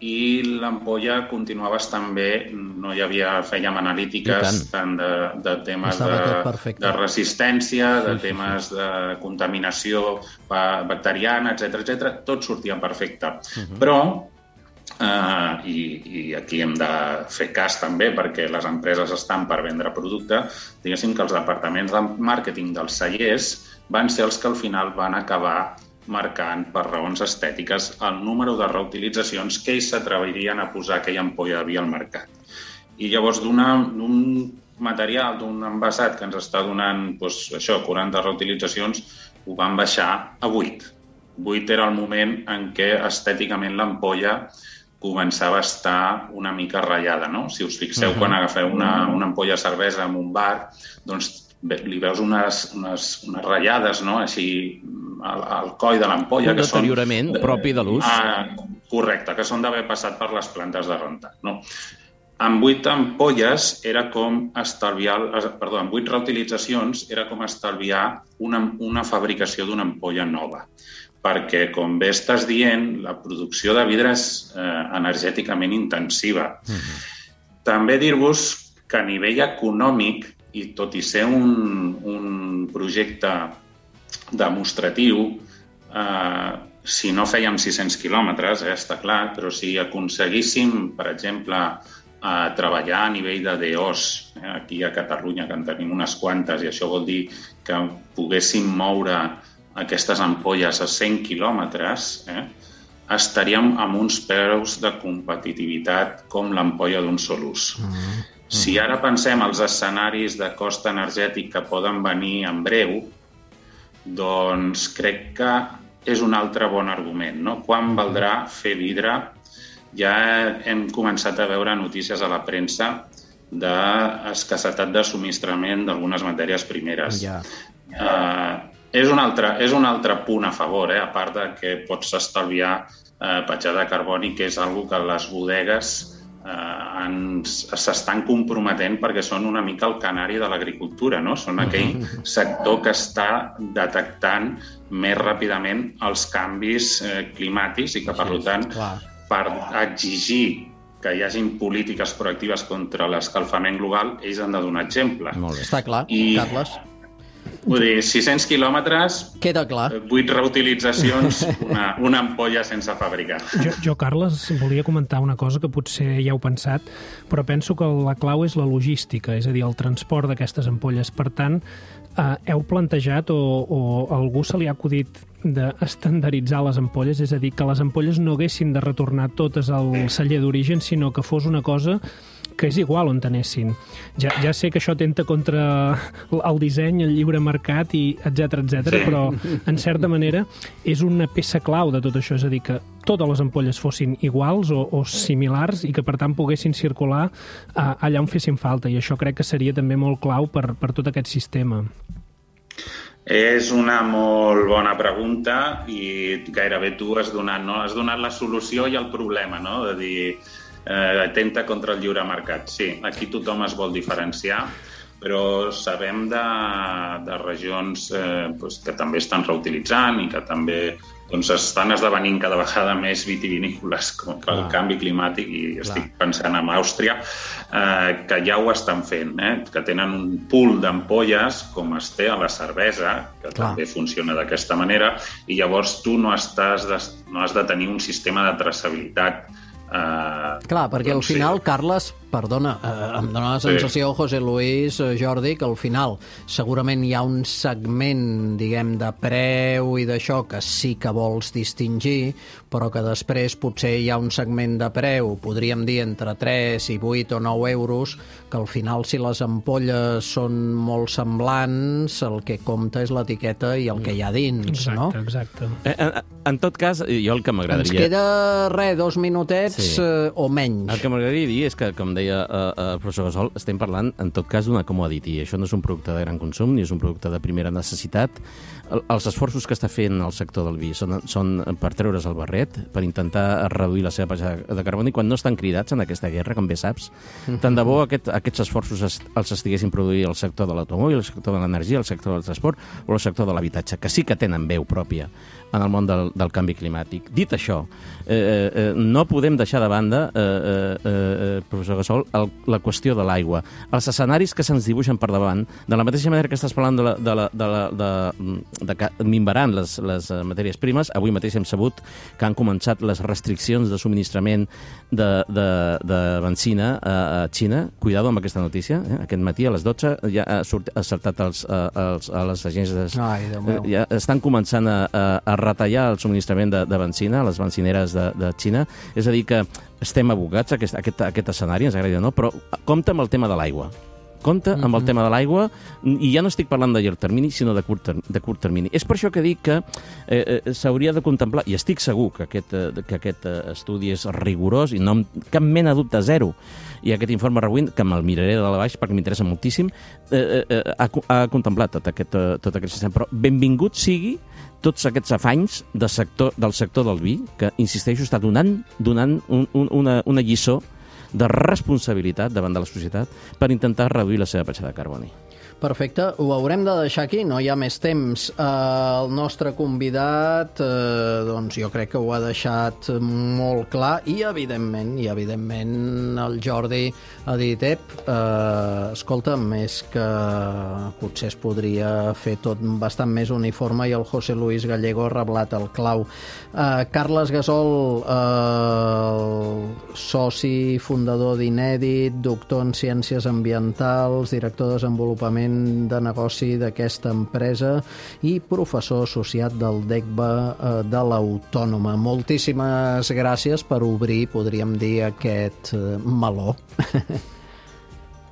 i l'ampolla continuava estant bé, no hi havia, fèiem analítiques tant de, de temes de, de resistència, de sí, temes sí, sí. de contaminació bacteriana, etcètera, etcètera, tot sortia perfecte. Uh-huh. Però, eh, i, i aquí hem de fer cas també, perquè les empreses estan per vendre producte, diguéssim que els departaments de màrqueting dels cellers van ser els que al final van acabar marcant per raons estètiques el número de reutilitzacions que ells s'atrevirien a posar aquella ampolla de vi al mercat. I llavors d'un material, d'un envasat que ens està donant doncs, això, quaranta reutilitzacions, ho van baixar a vuit. vuit era el moment en què estèticament l'ampolla començava a estar una mica ratllada. No? Si us fixeu, uh-huh. quan agafeu una, una ampolla de cervesa en un bar, doncs li veus unes, unes, unes ratllades, no? Així, al, al coll de l'ampolla. Un deteriorament són, propi de l'ús. Ah, correcte, que són d'haver passat per les plantes de rentat. No? Amb vuit ampolles era com estalviar, perdó, amb vuit reutilitzacions era com estalviar una, una fabricació d'una ampolla nova. Perquè, com bé estàs dient, la producció de vidre és eh, energèticament intensiva. Uh-huh. També dir-vos que a nivell econòmic, i tot i ser un, un projecte demostratiu, eh, si no fèiem sis-cents quilòmetres, eh, està clar, però si aconseguíssim, per exemple, eh, treballar a nivell de D Os, eh, aquí a Catalunya, que en tenim unes quantes, i això vol dir que poguéssim moure aquestes ampolles a cent quilòmetres, eh, estaríem amb uns preus de competitivitat com l'ampolla d'un sol ús. Mm. Si ara pensem els escenaris de cost energètic que poden venir en breu, doncs crec que és un altre bon argument. No? Quan valdrà fer vidre? Ja hem començat a veure notícies a la premsa d'escassetat de subministrament d'algunes matèries primeres. Ja. Uh, és, un altre, és un altre punt a favor, eh? A part de que pots estalviar uh, petjada de carboni, que és una cosa que les bodegues Uh, s'estan comprometent perquè són una mica el canari de l'agricultura, no? Són aquell sector que està detectant més ràpidament els canvis eh, climàtics i que, per tant, per exigir que hi hagin polítiques proactives contra l'escalfament global, ells han de donar exemple. Molt bé. Està clar, I... Carles. Vull dir, sis-cents quilòmetres, queda clar. vuit reutilitzacions, una, una ampolla sense fabricar. Jo, jo, Carles, volia comentar una cosa que potser ja heu pensat, però penso que la clau és la logística, és a dir, el transport d'aquestes ampolles. Per tant, eh, heu plantejat o, o a algú se li ha acudit d'estandarditzar les ampolles, és a dir, que les ampolles no haguessin de retornar totes al celler d'origen, sinó que fos una cosa que és igual on anessin. Ja, ja sé que això atenta contra el disseny, el lliure mercat, i etcètera, etcètera, sí. Però, en certa manera, és una peça clau de tot això, és a dir, que totes les ampolles fossin iguals o, o similars i que, per tant, poguessin circular uh, allà on fessin falta, i això crec que seria també molt clau per, per tot aquest sistema. És una molt bona pregunta i gairebé tu has donat, no? Has donat la solució i el problema, no? De dir, eh, atenta contra el lliure mercat. Sí, aquí tothom es vol diferenciar, però sabem de, de regions eh, doncs, que també estan reutilitzant i que també doncs, estan esdevenint cada vegada més vitivinícoles com pel ah. canvi climàtic, i estic Clar. pensant en Àustria, eh, que ja ho estan fent, eh, que tenen un pool d'ampolles com es té a la cervesa, que Clar. també funciona d'aquesta manera, i llavors tu no, estàs de, no has de tenir un sistema de traçabilitat Uh, Clar, perquè doncs al final, sí. Carles, perdona, eh, em dóna la sensació, sí. José Luis, eh, Jordi, que al final segurament hi ha un segment, diguem, de preu i d'això que sí que vols distingir, però que després potser hi ha un segment de preu, podríem dir entre tres i vuit o nou euros, que al final, si les ampolles són molt semblants, el que compta és l'etiqueta i el que hi ha dins, exacte, no? Exacte, eh, en, en tot cas, jo el que m'agradaria... Ens queda, res, dos minutets sí. eh, o menys. El que m'agradaria dir és que, com deia eh, el professor Gasol, estem parlant, en tot cas, d'una commodity. Això no és un producte de gran consum, ni és un producte de primera necessitat. El, els esforços que està fent el sector del vi són, són per treure's el barret, per intentar reduir la seva petjada de carboni, quan no estan cridats en aquesta guerra, com bé saps. Tant de bo aquest, aquests esforços es, els estiguessin produint el sector de l'automòbil, el sector de l'energia, el sector del transport o el sector de l'habitatge, que sí que tenen veu pròpia en el món del, del canvi climàtic. Dit això, eh, eh, no podem deixar de banda, eh, eh, professor Gasol, el, la qüestió de l'aigua. Els escenaris que se'ns dibuixen per davant, de la mateixa manera que estàs parlant de, la, de, la, de, la, de, de que minvaran les, les matèries primes, avui mateix hem sabut que han començat les restriccions de subministrament de, de, de benzina a, a Xina. Cuidado amb aquesta notícia. Eh? Aquest matí a les dotze ja ha, sort, ha saltat els, els, a les agències. Ai, Déu meu. Ja estan començant a, a, a retallar el subministrament de, de benzina a les benzineres de, de Xina. És a dir, que estem abocats a aquest, a aquest, a aquest escenari, ens agrada o no, però compta amb el tema de l'aigua. Compte amb el tema de l'aigua, i ja no estic parlant de llarg termini, sinó de curt, de curt termini. És per això que dic que eh, s'hauria de contemplar, i estic segur que aquest, eh, que aquest estudi és rigorós, i no amb cap mena de dubte, zero, i aquest informe Rewind, que me'l miraré de la baix perquè m'interessa moltíssim, eh, eh, ha, ha contemplat tot aquest, tot aquest sistema. Però benvingut sigui tots aquests afanys de sector, del sector del vi, que, insisteixo, està donant, donant un, un, una, una lliçó de responsabilitat davant de la societat per intentar reduir la seva petjada de carboni. Perfecte, ho haurem de deixar aquí, no hi ha més temps. Eh, el nostre convidat, eh, doncs jo crec que ho ha deixat molt clar, i evidentment, i evidentment el Jordi ha dit, ep, eh, escolta'm, és que potser es podria fer tot bastant més uniforme, i el José Luis Gallego ha reblat el clau. Eh, Carles Gasol, eh, soci fundador d'Inèdit, doctor en Ciències Ambientals, director de desenvolupament de negoci d'aquesta empresa i professor associat del D E C B A de l'Autònoma. Moltíssimes gràcies per obrir, podríem dir, aquest meló.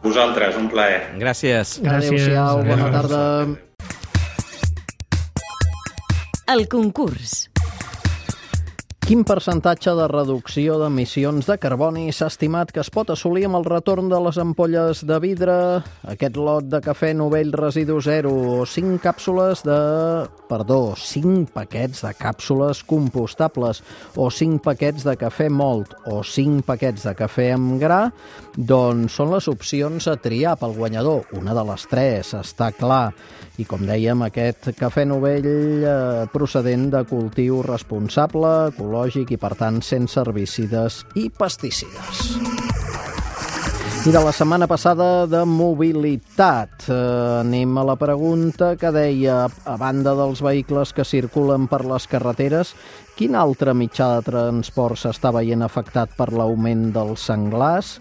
Vosaltres, un plaer. Gràcies. Adéu-siau, bona tarda. El concurs. Quin percentatge de reducció d'emissions de carboni s'ha estimat que es pot assolir amb el retorn de les ampolles de vidre, aquest lot de cafè Novell Residu Zero, o cinc càpsules de... perdó, cinc paquets de càpsules compostables, o cinc paquets de cafè Molt, o cinc paquets de cafè amb gra? Doncs són les opcions a triar pel guanyador. Una de les tres, està clar. I com dèiem, aquest cafè Novell eh, procedent de cultiu responsable, ecològic i, per tant, sense herbicides i pesticides. I de la setmana passada de mobilitat. Eh, anem a la pregunta que deia, a banda dels vehicles que circulen per les carreteres, quin altre mitjà de transport s'està veient afectat per l'augment dels senglars?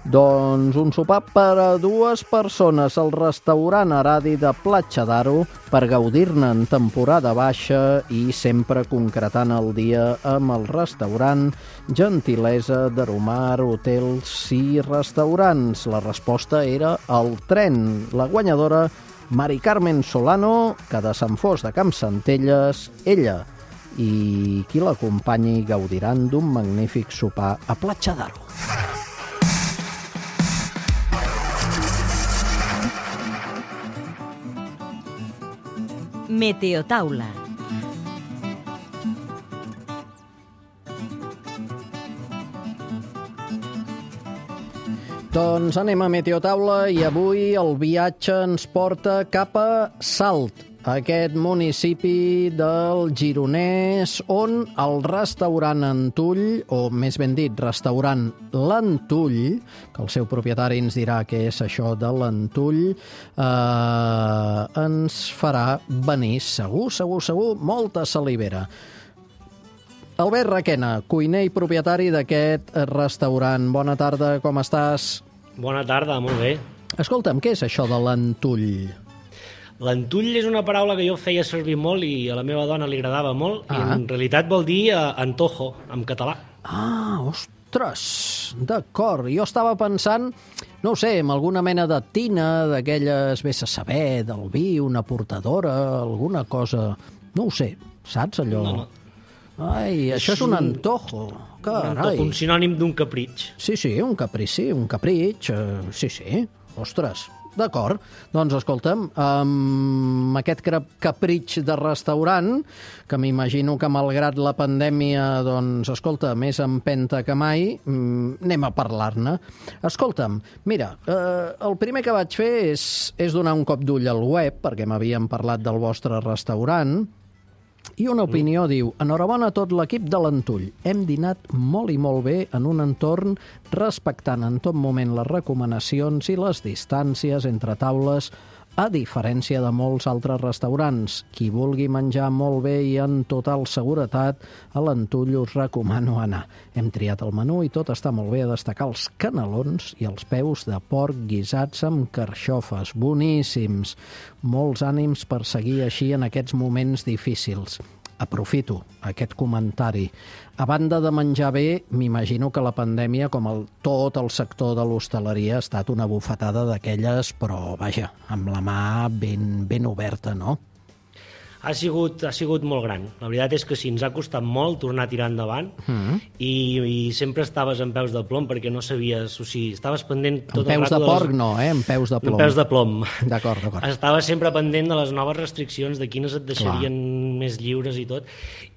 Doncs un sopar per a dues persones al restaurant Aradi de Platja d'Aro per gaudir-ne en temporada baixa i sempre concretant el dia amb el restaurant Gentilesa d'Aromar Hotels i Restaurants. La resposta era el tren. La guanyadora, Mari Carmen Solano, que de Sant Fost de Campsentelles, ella i qui l'acompanyi gaudiran d'un magnífic sopar a Platja d'Aro. Meteotaula. Doncs anem a Meteotaula i avui el viatge ens porta cap a Salt, aquest municipi del Gironès, on el restaurant Antull, o més ben dit, restaurant L'Antull, que el seu propietari ens dirà què és això de l'Antull, eh, ens farà venir segur, segur, segur, molta salivera. Albert Requena, cuiner i propietari d'aquest restaurant. Bona tarda, com estàs? Bona tarda, molt bé. Escolta'm, què és això de l'antull? L'antull és una paraula que jo feia servir molt i a la meva dona li agradava molt, ah. i en realitat vol dir uh, antojo, en català. Ah, ostres, d'acord. Jo estava pensant, no ho sé, en alguna mena de tina, d'aquelles, vés a saber, del vi, una portadora, alguna cosa... No ho sé, saps allò? No, no. Ai, és això és un antojo. Carai. Un antojo, un sinònim d'un capritx. Sí, sí, un caprici, un capritx, uh, sí, sí, ostres. D'acord, doncs escolta'm, amb aquest capritx de restaurant, que m'imagino que malgrat la pandèmia, doncs, escolta, més empenta que mai, anem a parlar-ne. Escolta'm, mira, eh, el primer que vaig fer és, és donar un cop d'ull al web, perquè m'havien parlat del vostre restaurant, i una opinió diu: enhorabona a tot l'equip de l'Antull. Hem dinat molt i molt bé en un entorn respectant en tot moment les recomanacions i les distàncies entre taules, a diferència de molts altres restaurants. Qui vulgui menjar molt bé i en total seguretat, a l'Antull us recomano anar. Hem triat el menú i tot està molt bé, a destacar els canelons i els peus de porc guisats amb carxofes. Boníssims. Molts ànims per seguir així en aquests moments difícils. Aprofito aquest comentari. A banda de menjar bé, m'imagino que la pandèmia, com el, tot el sector de l'hostaleria, ha estat una bufetada d'aquelles, però, vaja, amb la mà ben, ben oberta, no? Ha sigut, ha sigut molt gran. La veritat és que sí, ens ha costat molt tornar a tirar endavant, mm. i, i sempre estaves en peus de plom perquè no sabies, o sigui, estaves pendent tot el rato... En peus de porc les... no, eh? En peus de plom. En peus de plom. D'acord, d'acord. Estaves sempre pendent de les noves restriccions, de quines et deixarien Clar. Més lliures i tot,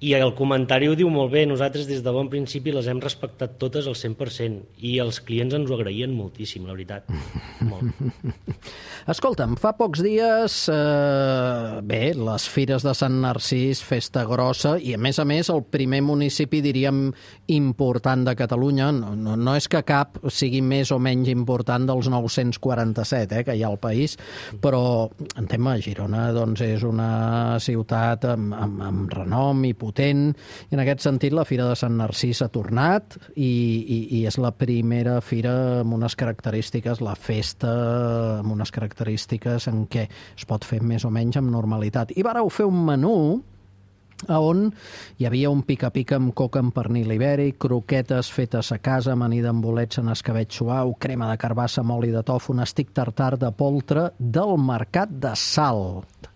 i el comentari ho diu molt bé. Nosaltres des de bon principi les hem respectat totes al cent per cent, i els clients ens ho agraïen moltíssim, la veritat. Molt. Escolta'm, fa pocs dies, eh, bé, les fires de Sant Narcís, festa grossa, i a més a més el primer municipi, diríem, important de Catalunya. No, no, no és que cap sigui més o menys important dels nou-cents quaranta-set eh, que hi ha al país, però en tema Girona doncs, és una ciutat amb, amb, amb renom i potent, i en aquest sentit la Fira de Sant Narcís ha tornat i, i, i és la primera fira amb unes característiques, la festa amb unes característiques en què es pot fer més o menys amb normalitat. I vareu fer un menú on hi havia un pica-pica amb coca amb pernil ibèric, croquetes fetes a casa, amanida amb bolets en escabetx suau, crema de carbassa amb oli de tofu, un estic tartar de poltre del Mercat de Salt.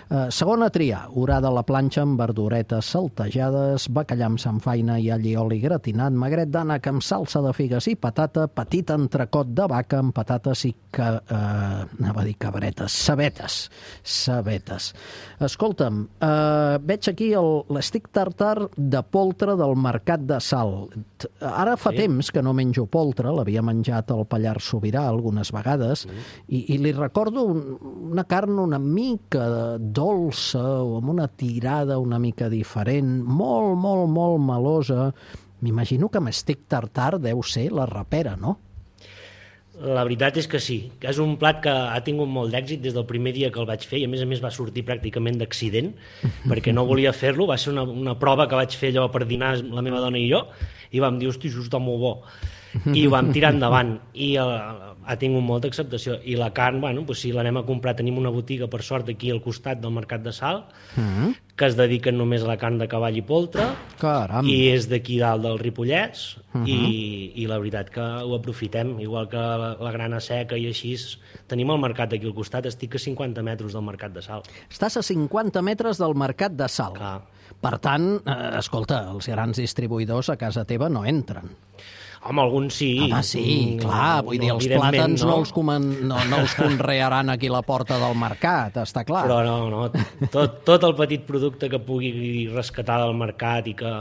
Uh, segona tria, orada a la planxa amb verduretes saltejades, bacallà amb samfaina i alli oli gratinat, magret d'ànec amb salsa de figues i patata, petit entrecot de vaca amb patates i que, uh, anava a dir cabretes, cebetes, cebetes. Escolta'm, uh, veig aquí l'estic tartar de poltre del Mercat de Salt. Ara fa sí. temps que no menjo poltre, l'havia menjat al Pallars Sobirà algunes vegades, mm. i, i li recordo un, una carn una mica dolça o amb una tirada una mica diferent, molt, molt, molt melosa. M'imagino que amb estic tartar deu ser la rapera, no? La veritat és que sí, que és un plat que ha tingut molt d'èxit des del primer dia que el vaig fer, i a més a més va sortir pràcticament d'accident, perquè no volia fer-lo, va ser una, una prova que vaig fer allò per dinar la meva dona i jo, i vam dir, hosti, això està molt bo, i ho vam tirar endavant, i uh, ha tingut molta acceptació, i la carn, bueno, doncs si l'anem a comprar, tenim una botiga, per sort, aquí al costat del Mercat de Salt, mm-hmm. que es dediquen només a la carn de cavall i poltre. Caram. I és d'aquí dalt del Ripollès, uh-huh. i, i la veritat que ho aprofitem, igual que la, la grana seca i així. Tenim el mercat aquí al costat, estic a cinquanta metres del Mercat de Salt. Estàs a cinquanta metres del Mercat de Salt. Clar. Per tant, eh, escolta, els grans distribuïdors a casa teva no entren. Home, alguns sí. Home, sí, clar, vull dir, els plàtans no, no, els, comen, no, no els conrearan aquí a la porta del mercat, està clar. Però no, no, tot, tot el petit producte que pugui rescatar del mercat i que...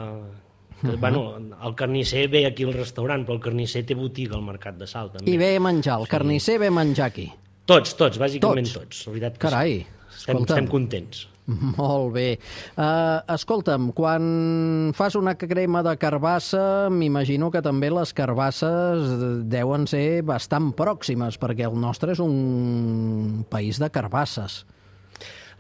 que uh-huh. bueno, el carnisser ve aquí al restaurant, però el carnisser té botiga al Mercat de Salt, també. I ve menjar, el carnisser sí. ve menjar aquí. Tots, tots, bàsicament tots. tots. La veritat que Carai, sí. Estem, estem contents. Molt bé. Uh, escolta'm, quan fas una crema de carbassa, m'imagino que també les carbasses deuen ser bastant pròximes, perquè el nostre és un país de carbasses.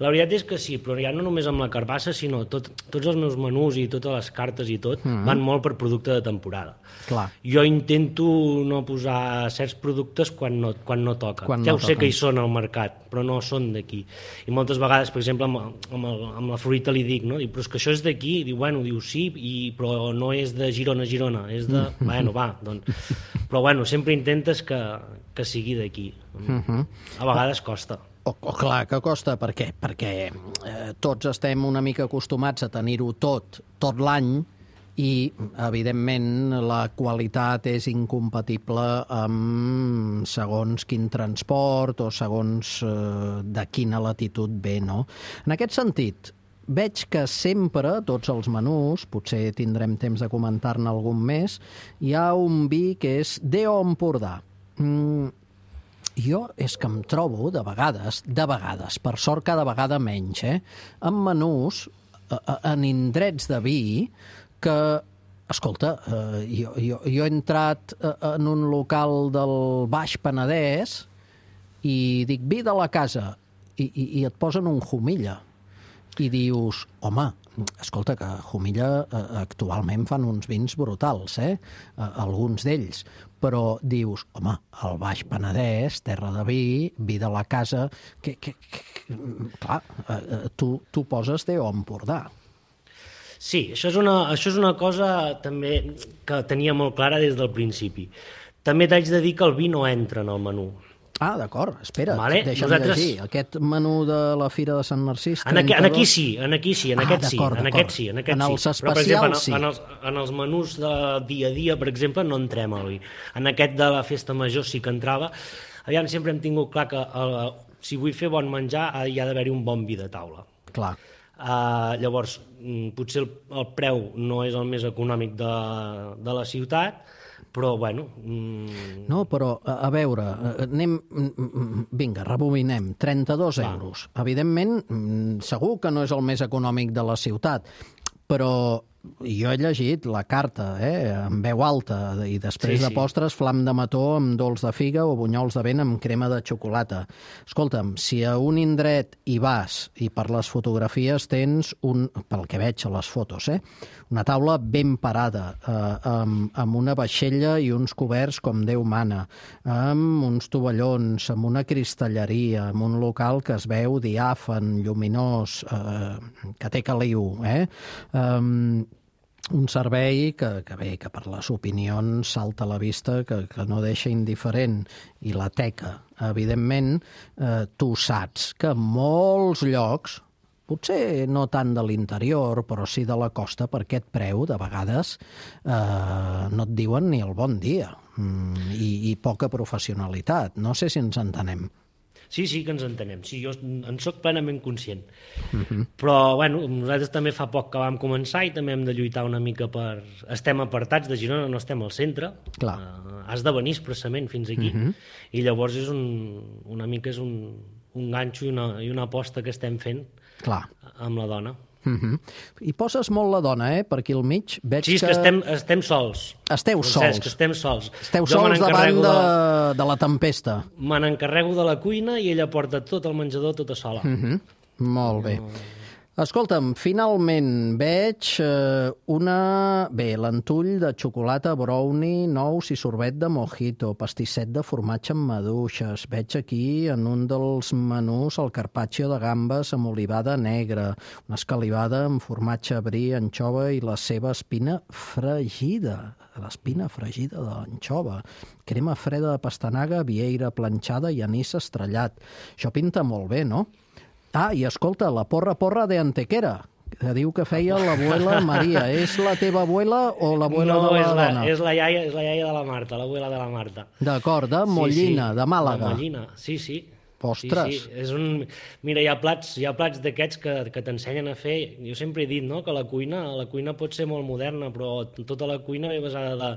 La veritat és que sí, però ja no només amb la carbassa, sinó tot, tots els meus menús i totes les cartes i tot mm-hmm. van molt per producte de temporada. Clar. Jo intento no posar certs productes quan no, quan no toca. Quan ja no ho sé toquen. que hi són al mercat, però no són d'aquí. I moltes vegades, per exemple, amb, amb, el, amb la fruita li dic, no? Dic, però és que això és d'aquí. Diu, bueno, diu, sí, i, però no és de Girona, Girona, és de... Mm-hmm. Bueno, va, doncs... Però bueno, sempre intentes que, que sigui d'aquí. Mm-hmm. A vegades costa. O, o clar que costa, per què? Perquè eh, tots estem una mica acostumats a tenir-ho tot, tot l'any, i, evidentment, la qualitat és incompatible amb segons quin transport o segons eh, de quina latitud ve, no? En aquest sentit, veig que sempre, tots els menús, potser tindrem temps de comentar-ne algun més, hi ha un vi que és Déu Empordà. Mm, Jo és que em trobo, de vegades, de vegades, per sort cada vegada menys, eh, en menús, en indrets de vi, que, escolta, eh, jo, jo, jo he entrat en un local del Baix Penedès i dic vi de la casa, i, i, i et posen un Jumilla. I dius, home, escolta, que Jumilla eh, actualment fan uns vins brutals, eh? eh alguns d'ells, però dius, home, el Baix Penedès, terra de vi, vi de la casa, que, que, que clar, eh, tu, tu poses Déu Empordà. Sí, això és, una, això és una cosa també que tenia molt clara des del principi. També t'haig de dir que el vi no entra en el menú. Ah, d'acord, espera't, vale. deixa'm Nosaltres... llegir. Aquest menú de la Fira de Sant Narcís... En, aquí, en aquí sí, en aquí sí, en ah, aquest sí, en aquest sí. En, aquest en els sí. especials, però, per exemple, sí. En els, en els menús de dia a dia, per exemple, no entrem al vi. En aquest de la Festa Major sí que entrava. Aviam, sempre hem tingut clar que el, si vull fer bon menjar hi ha d'haver-hi un bon vi de taula. Clar. Uh, llavors, potser el, el preu no és el més econòmic de, de la ciutat, però, bueno... Mm... No, però, a, a veure, anem... Vinga, rebobinem. trenta-dos Clar. euros. Evidentment, segur que no és el més econòmic de la ciutat, però jo he llegit la carta, eh, en veu alta, i després sí, de sí. postres, flam de mató amb dolç de figa o bunyols de vent amb crema de xocolata. Escolta'm, si a un indret hi vas i per les fotografies tens, un, pel que veig a les fotos, eh, una taula ben parada, eh, amb, amb una vaixella i uns coberts com Déu mana, amb uns tovallons, amb una cristalleria, amb un local que es veu diàfan, lluminós, eh, que té caliu, eh? Um, un servei que, que bé, que per les opinions salta a la vista, que, que no deixa indiferent, i la teca, evidentment, eh, tu saps que en molts llocs, potser no tant de l'interior, però sí de la costa, per aquest preu, de vegades, eh, no et diuen ni el bon dia, mm, i, i poca professionalitat. No sé si ens entenem. Sí, sí que ens entenem. Sí, jo en soc plenament conscient. Uh-huh. Però, bueno, nosaltres també fa poc que vam començar i també hem de lluitar una mica per... Estem apartats de Girona, no estem al centre. Clar. Uh, has de venir expressament fins aquí. Uh-huh. I llavors és un, una mica és un, un ganxo i una, i una aposta que estem fent. Clar. Amb la dona. Uh-huh. I poses molt la dona, eh? Per aquí al mig veig sí, és que, que estem, estem sols. Esteu sols. Que estem sols. Esteu jo sols davant de, de... de la tempesta. Me n'encarrego de la cuina i ella porta tot el menjador tota sola. Uh-huh. Molt bé. No... Escolta'm, finalment veig eh, una... Bé, l'entull de xocolata, brownie, nous i sorbet de mojito, pastisset de formatge amb maduixes. Veig aquí, en un dels menús, el carpaccio de gambes amb olivada negra, una escalivada amb formatge brie, anxova i la seva espina fregida. L'espina fregida de l'anxova. Crema freda de pastanaga, vieira planxada i anís estrellat. Això pinta molt bé, no? Ah, i escolta, la porra porra de Antequera, que diu que feia l'abuela Maria. És la teva abuela o l'abuela no, de la és la, dona? és la iaia, és la iaia de la Marta, l'abuela de la Marta. D'acord, de Mollina, sí, sí. de Màlaga. De Mollina, sí, sí. Ostres. Sí, sí. És un... Mira, hi ha plats, hi ha plats d'aquests que, que t'ensenyen a fer. Jo sempre he dit, no?, que la cuina, la cuina pot ser molt moderna, però tota la cuina ve basada de,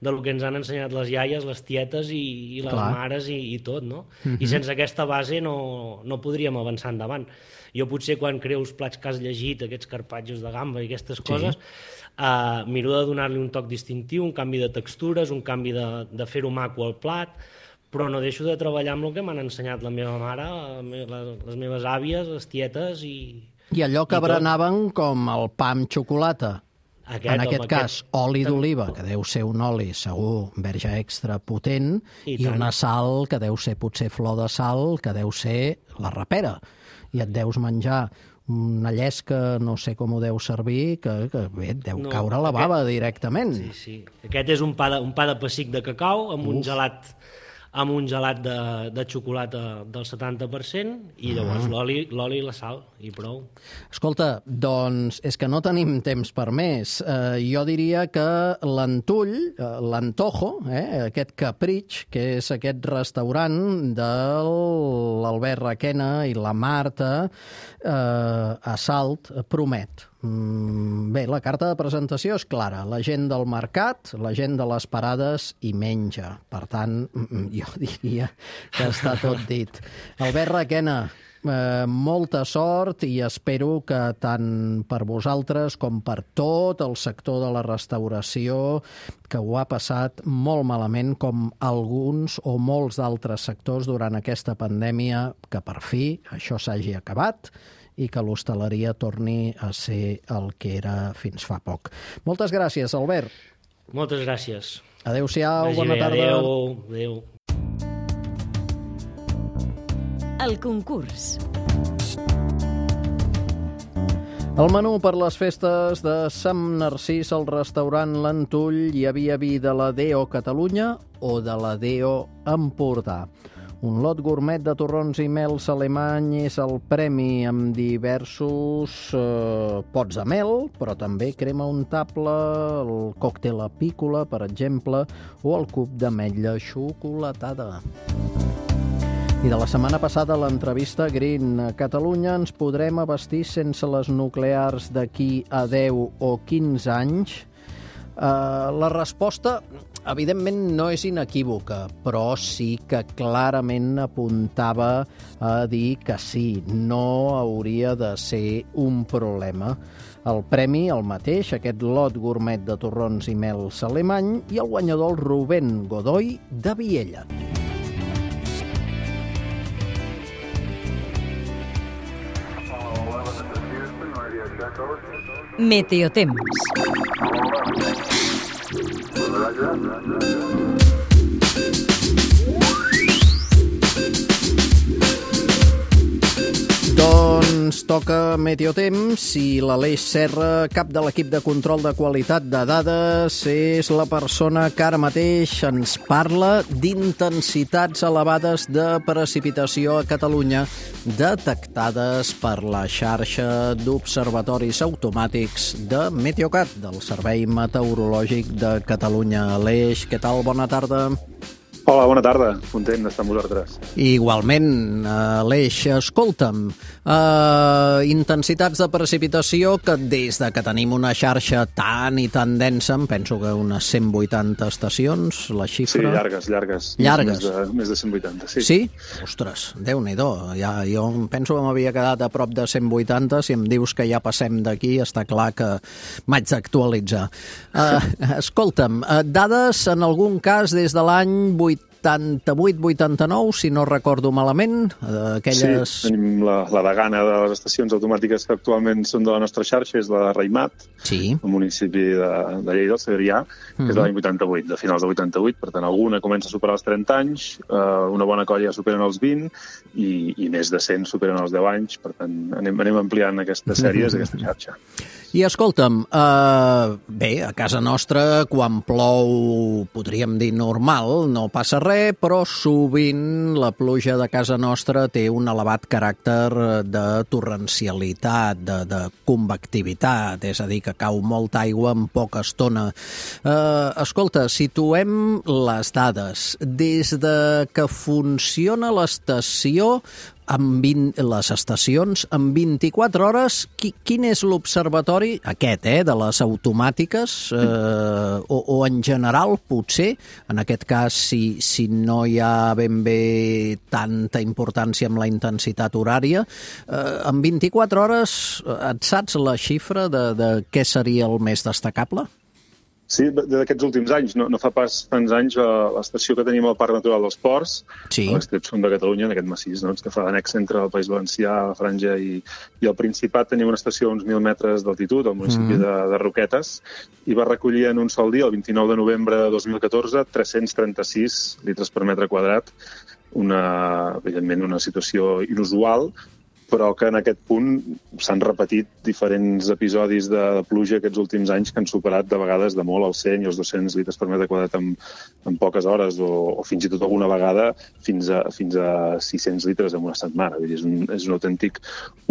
del que ens han ensenyat les iaies, les tietes i, i les Clar. mares i, i tot, no? Uh-huh. I sense aquesta base no, no podríem avançar endavant. Jo potser quan creo els plats que has llegit, aquests carpatxos de gamba i aquestes coses, sí. uh, miro de donar-li un toc distintiu, un canvi de textures, un canvi de, de fer-ho maco al plat, però no deixo de treballar amb el que m'han ensenyat la meva mare, les meves àvies, les tietes i... I allò que berenaven com el pa amb xocolata. Aquest, en aquest home, cas, aquest... oli d'oliva, que deu ser un oli segur verge extra potent, i, i una sal que deu ser potser flor de sal, que deu ser la rapera. I et deus menjar una llesca, no sé com ho deu servir, que, que bé, et deu no, caure la bava aquest... directament. Sí, sí. Aquest és un pa de, un pa de pessic de cacau amb Uf. un gelat amb un gelat de, de xocolata del setanta per cent i llavors mm. l'oli l'oli i la sal, i prou. Escolta, doncs és que no tenim temps per més. Eh, jo diria que l'Antull, eh, l'Antojo, eh, aquest capritx, que és aquest restaurant de l'Albert Requena i la Marta eh, a Salt, promet. Bé, la carta de presentació és clara. La gent del mercat, la gent de les parades i menja. Per tant, jo diria que està tot dit. Albert Requena, eh, molta sort i espero que tant per vosaltres com per tot el sector de la restauració, que ho ha passat molt malament, com alguns o molts d'altres sectors durant aquesta pandèmia, que per fi això s'hagi acabat i que l'hostaleria torni a ser el que era fins fa poc. Moltes gràcies, Albert. Moltes gràcies. Adéu-siau, bona tarda. Adéu, adéu. El concurs. Al menú per les festes de Sant Narcís al restaurant L'Antull hi havia vi de la D O Catalunya o de la D O Empordà. Un lot gourmet de torrons i mels alemany és el premi amb diversos eh, pots de mel, però també crema untable, el còctel apícola, per exemple, o el cub d'ametlla xocolatada. I de la setmana passada, a l'entrevista Green a Catalunya, ens podrem abastir sense les nuclears d'aquí a deu o quinze anys? Uh, la resposta, evidentment, no és inequívoca, però sí que clarament apuntava a dir que sí, no hauria de ser un problema. El premi, el mateix, aquest lot gourmet de torrons i mels alemany, i el guanyador, el Rubén Godoy, de Viella. Meteotemps. Doncs toca Meteotemps i l'Aleix Serra, cap de l'equip de control de qualitat de dades, és la persona que ara mateix ens parla d'intensitats elevades de precipitació a Catalunya detectades per la xarxa d'observatoris automàtics de Meteocat, del Servei Meteorològic de Catalunya. Aleix, què tal? Bona tarda. Hola, bona tarda. Content d'estar amb vosaltres. Igualment, Aleix, escolta'm, uh, intensitats de precipitació que des de que tenim una xarxa tan i tan densa, em penso que unes cent vuitanta estacions, la xifra... Sí, llargues, llargues. Llargues? Més de, més de cent vuitanta, sí. Sí? Ostres, Déu-n'hi-do. Ja, jo penso que m'havia quedat a prop de cent vuitanta. Si em dius que ja passem d'aquí, està clar que m'haig d'actualitzar. Uh, escolta'm, uh, dades en algun cas des de l'any vuitanta-vuit vuitanta-nou, si no recordo malament, aquelles... Sí, tenim la, la degana de les estacions automàtiques que actualment són de la nostra xarxa, és la de Raimat, sí. El municipi de, de Lleida, el Segrià, que uh-huh. és de l'any vuitanta-vuit, de finals de vuitanta-vuit, per tant, alguna comença a superar els trenta anys, eh, una bona colla superen els vint i, i més de cent superen els deu anys, per tant, anem, anem ampliant aquestes sèries, uh-huh. aquesta xarxa. I escolta'm, eh, bé, a casa nostra, quan plou, podríem dir normal, no passa res, però sovint la pluja de casa nostra té un elevat caràcter de torrencialitat, de, de convectivitat, és a dir, que cau molta aigua en poca estona. Eh, escolta, situem les dades. Des de que funciona l'estació, amb vint, les estacions, en vint-i-quatre hores, qui, quin és l'observatori, aquest, eh, de les automàtiques, eh, o, o en general, potser, en aquest cas, si, si no hi ha ben bé tanta importància amb la intensitat horària, eh, en vint-i-quatre hores et saps la xifra de, de què seria el més destacable? Sí, d'aquests últims anys. No, no fa pas tants anys l'estació que tenim al Parc Natural dels Ports, sí. a l'extrem sud de Catalunya, en aquest massís, no? que fa d'annex entre el País Valencià, la Franja i, i el Principat, tenim una estació a uns mil metres d'altitud, al municipi mm. de, de Roquetes, i va recollir en un sol dia, el vint-i-nou de novembre de dos mil catorze, tres-cents trenta-sis litres per metre quadrat, una, evidentment una situació inusual, però que en aquest punt s'han repetit diferents episodis de, de pluja aquests últims anys que han superat de vegades de molt els cent i els dos-cents litres per metre quadrat en, en poques hores, o, o fins i tot alguna vegada fins a, fins a sis-cents litres en una setmana. Vull dir, és, un, és un autèntic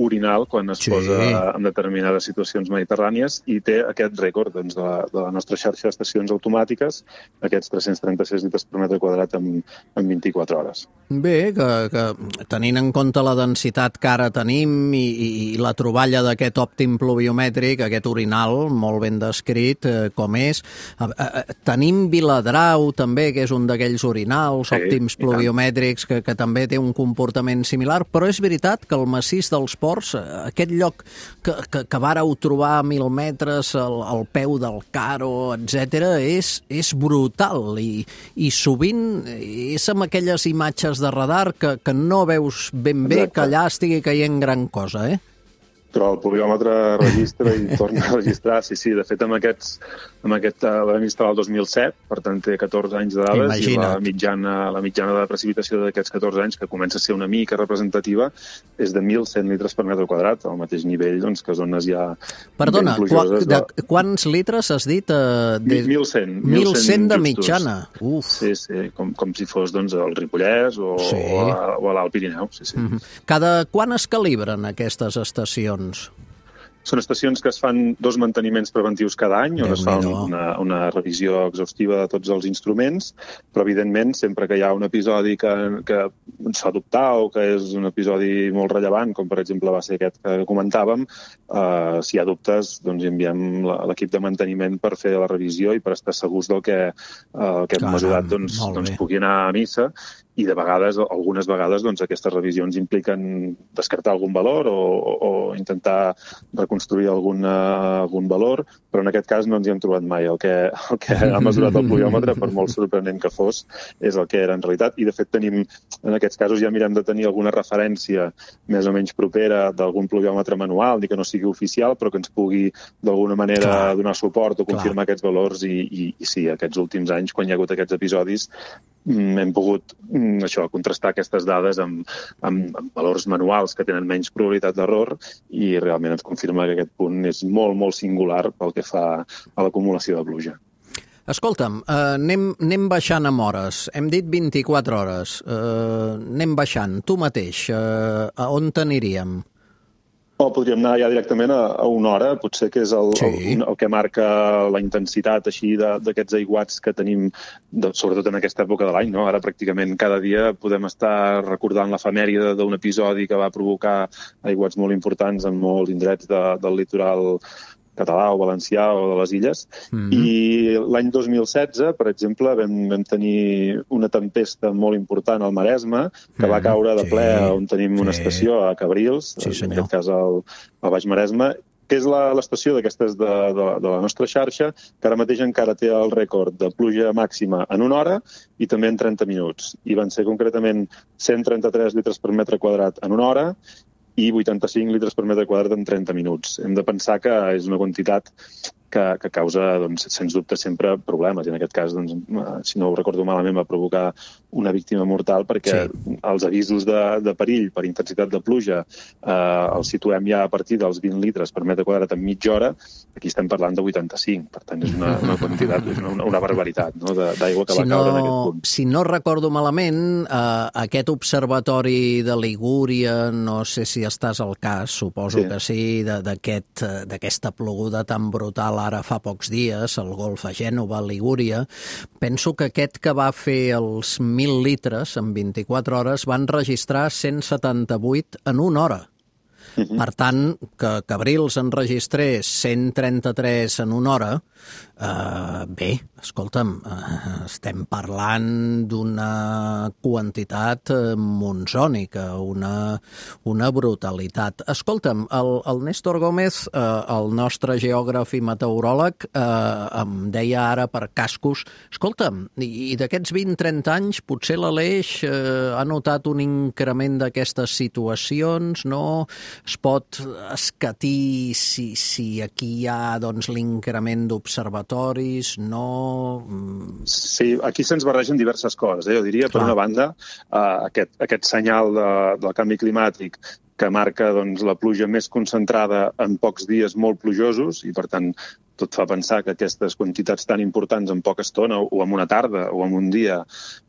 orinal quan es sí. posa en determinades situacions mediterrànies, i té aquest rècord doncs, de, la, de la nostra xarxa d'estacions automàtiques, aquests tres-cents trenta-sis litres per metre quadrat en, en vint-i-quatre hores. Bé, que, que tenint en compte la densitat que ara tenim i, i la troballa d'aquest òptim pluviomètric, aquest orinal molt ben descrit eh, com és. Eh, eh, tenim Viladrau també, que és un d'aquells orinals sí, òptims pluviomètrics que, que també té un comportament similar, però és veritat que el massís dels Ports, aquest lloc que, que, que vàreu trobar a mil metres al, al peu del Caro, etcètera, és, és brutal i, i sovint és amb aquelles imatges de radar que, que no veus ben bé Exacte. Que allà estigui caient gran cosa, eh? Però el pluviòmetre registra i torna a registrar. Sí, sí, de fet, amb aquests, amb aquest uh, vam instal·lar el dos mil set, per tant té catorze anys de dades. Imagina't. I la mitjana, la mitjana de precipitació d'aquests catorze anys, que comença a ser una mica representativa, és de mil cent litres per metre quadrat, al mateix nivell doncs, que zones ja Perdona, ben plujoses. Perdona, de... quants litres has dit? Uh, de... mil cent. mil cent de mitjana. Uf. Sí, sí, com, com si fos doncs, el Ripollès o, sí. o, a, o a l'Alt Pirineu. Sí, sí. Mm-hmm. Cada quan es calibren aquestes estacions? Són estacions que es fan dos manteniments preventius cada any, on es fa una, una revisió exhaustiva de tots els instruments, però, evidentment, sempre que hi ha un episodi que, que ens fa dubtar o que és un episodi molt rellevant, com per exemple va ser aquest que comentàvem, eh, si hi ha dubtes, doncs enviem l'equip de manteniment per fer la revisió i per estar segurs del que, eh, que hem mesurat doncs, doncs pugui anar a missa. I de vegades, algunes vegades, doncs, aquestes revisions impliquen descartar algun valor o, o intentar reconstruir algun, algun valor, però en aquest cas no ens hi hem trobat mai. El que, el que ha mesurat el pluviòmetre, per molt sorprenent que fos, és el que era en realitat. I, de fet, tenim, en aquests casos ja mirem de tenir alguna referència més o menys propera d'algun pluviòmetre manual, ni que no sigui oficial, però que ens pugui d'alguna manera Clar. donar suport o confirmar Clar. aquests valors. I, i, i sí, aquests últims anys, quan hi ha hagut aquests episodis, hem pogut això, contrastar aquestes dades amb, amb, amb valors manuals que tenen menys probabilitat d'error, i realment ens confirma que aquest punt és molt, molt singular pel que fa a l'acumulació de pluja. Escolta'm, eh, anem, anem baixant amb hores. Hem dit vint-i-quatre hores. Eh, anem baixant. Tu mateix, eh, a on t'aniríem? O podríem anar ja directament a, a una hora, potser que és el, sí. el, el que marca la intensitat així d'aquests aiguats que tenim, de, sobretot en aquesta època de l'any, no? Ara pràcticament cada dia podem estar recordant l'efemèride d'un episodi que va provocar aiguats molt importants en molts indrets de, del litoral català o valencià o de les illes. Mm-hmm. I l'any dos mil setze, per exemple, vam, vam tenir una tempesta molt important al Maresme, que mm-hmm. va caure de ple sí. on tenim sí. una estació a Cabrils, sí, en aquest cas al, al Baix Maresme, que és l'estació d'aquestes de, de, de la nostra xarxa, que ara mateix encara té el rècord de pluja màxima en una hora i també en trenta minuts. I van ser concretament cent trenta-tres litres per metre quadrat en una hora i vuitanta-cinc litres per metre quadrat en trenta minuts. Hem de pensar que és una quantitat que, que causa, doncs, sens dubte, sempre problemes. I en aquest cas, doncs, si no ho recordo malament, va provocar una víctima mortal perquè sí. els avisos de, de perill per intensitat de pluja eh, els situem ja a partir dels vint litres per metre quadrat en mitja hora. Aquí estem parlant de vuitanta-cinc. Per tant, és una, una quantitat, és una, una barbaritat, no?, d'aigua que si va caure no, en aquest punt. Si no recordo malament, eh, aquest observatori de Ligúria, no sé si estàs al cas, suposo sí. que sí, d'aquesta aquest, ploguda tan brutal ara fa pocs dies, al Golf a Gènova, a Ligúria, penso que aquest que va fer els mil litres en vint-i-quatre hores van registrar cent setanta-vuit en una hora. Uh-huh. Per tant, que Cabrils enregistrés cent trenta-tres en una hora, eh, bé, escolta'm, eh, estem parlant d'una quantitat monsònica, una, una brutalitat. Escolta'm, el, el Néstor Gómez, eh, el nostre geògraf i meteoròleg, eh, em deia ara per cascos, escolta'm, i, i d'aquests vint trenta anys potser l'Aleix eh, ha notat un increment d'aquestes situacions, no? Es pot escatir si, si aquí hi ha doncs, l'increment d'observatoris, no? Sí, aquí se'ns barregen diverses coses. Eh? Jo diria, per una banda, eh, aquest, aquest senyal de, del canvi climàtic que marca doncs, la pluja més concentrada en pocs dies molt plujosos i, per tant, tot fa pensar que aquestes quantitats tan importants en poca estona o en una tarda o en un dia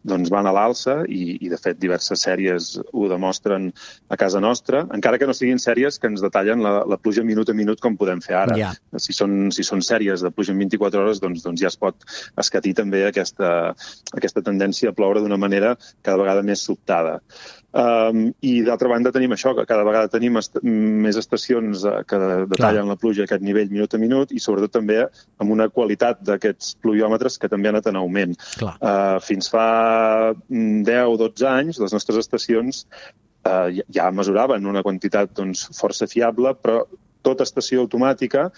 doncs van a l'alça i, i, de fet, diverses sèries ho demostren a casa nostra, encara que no siguin sèries que ens detallen la, la pluja minut a minut com podem fer ara. Yeah. Si són, si són sèries de pluja en vint-i-quatre hores, doncs, doncs ja es pot escatir també aquesta, aquesta tendència a ploure d'una manera cada vegada més sobtada. Um, I, d'altra banda, tenim això, que cada vegada tenim est més estacions que detallen Clar. la pluja a aquest nivell minut a minut i, sobretot, també amb una qualitat d'aquests pluviòmetres que també ha anat en augment. Uh, fins fa deu o dotze anys, les nostres estacions uh, ja mesuraven una quantitat doncs, força fiable, però tota estació automàtica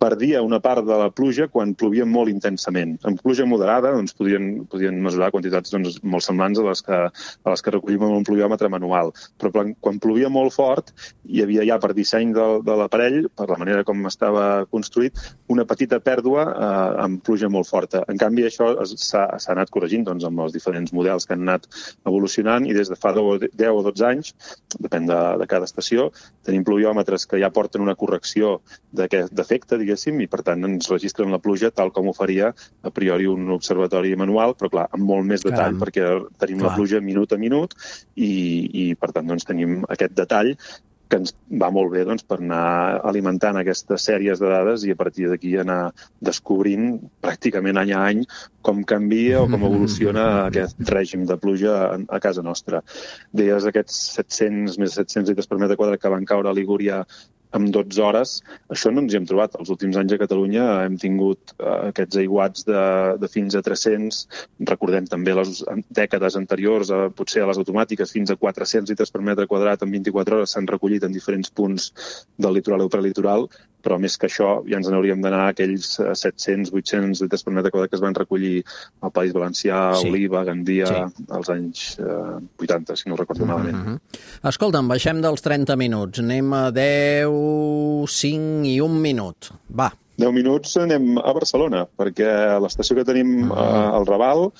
perdia una part de la pluja quan plovia molt intensament. En pluja moderada doncs, podien, podien mesurar quantitats doncs, molt semblants a les, que, a les que recollim amb un pluviòmetre manual. Però quan plovia molt fort, hi havia ja per disseny de, de l'aparell, per la manera com estava construït, una petita pèrdua eh, amb pluja molt forta. En canvi, això s'ha anat corregint doncs, amb els diferents models que han anat evolucionant i des de fa deu o dotze anys, depèn de, de cada estació, tenim pluviòmetres que ja porten una correcció d'aquest defecte, diguem, i, per tant, ens registren la pluja tal com ho faria a priori un observatori manual, però, clar, amb molt més detall, Caram. perquè tenim Clar. la pluja minut a minut i, i per tant, doncs, tenim aquest detall que ens va molt bé doncs, per anar alimentant aquestes sèries de dades i a partir d'aquí anar descobrint pràcticament any a any com canvia o com evoluciona aquest règim de pluja a, a casa nostra. Deies aquests set-cents, més de set-cents litres per metre quadrat que van caure a Ligúria en dotze hores, això no ens hi hem trobat. Els últims anys a Catalunya hem tingut uh, aquests aiguats de, de fins a tres-cents. Recordem també les dècades anteriors, uh, potser a les automàtiques, fins a quatre-cents litres per metre quadrat en vint-i-quatre hores s'han recollit en diferents punts del litoral o prelitoral, però més que això ja ens n'hauríem d'anar a aquells set-cents, vuit-cents litres per metre quadrat que es van recollir al País Valencià, sí. Oliva, Gandia, sí. als anys uh, vuitanta, si no ho recordo malament. Mm-hmm. Escolta'm, baixem dels trenta minuts. Anem a deu, cinc i un minut. Va. deu minuts anem a Barcelona, perquè l'estació que tenim uh, al Raval,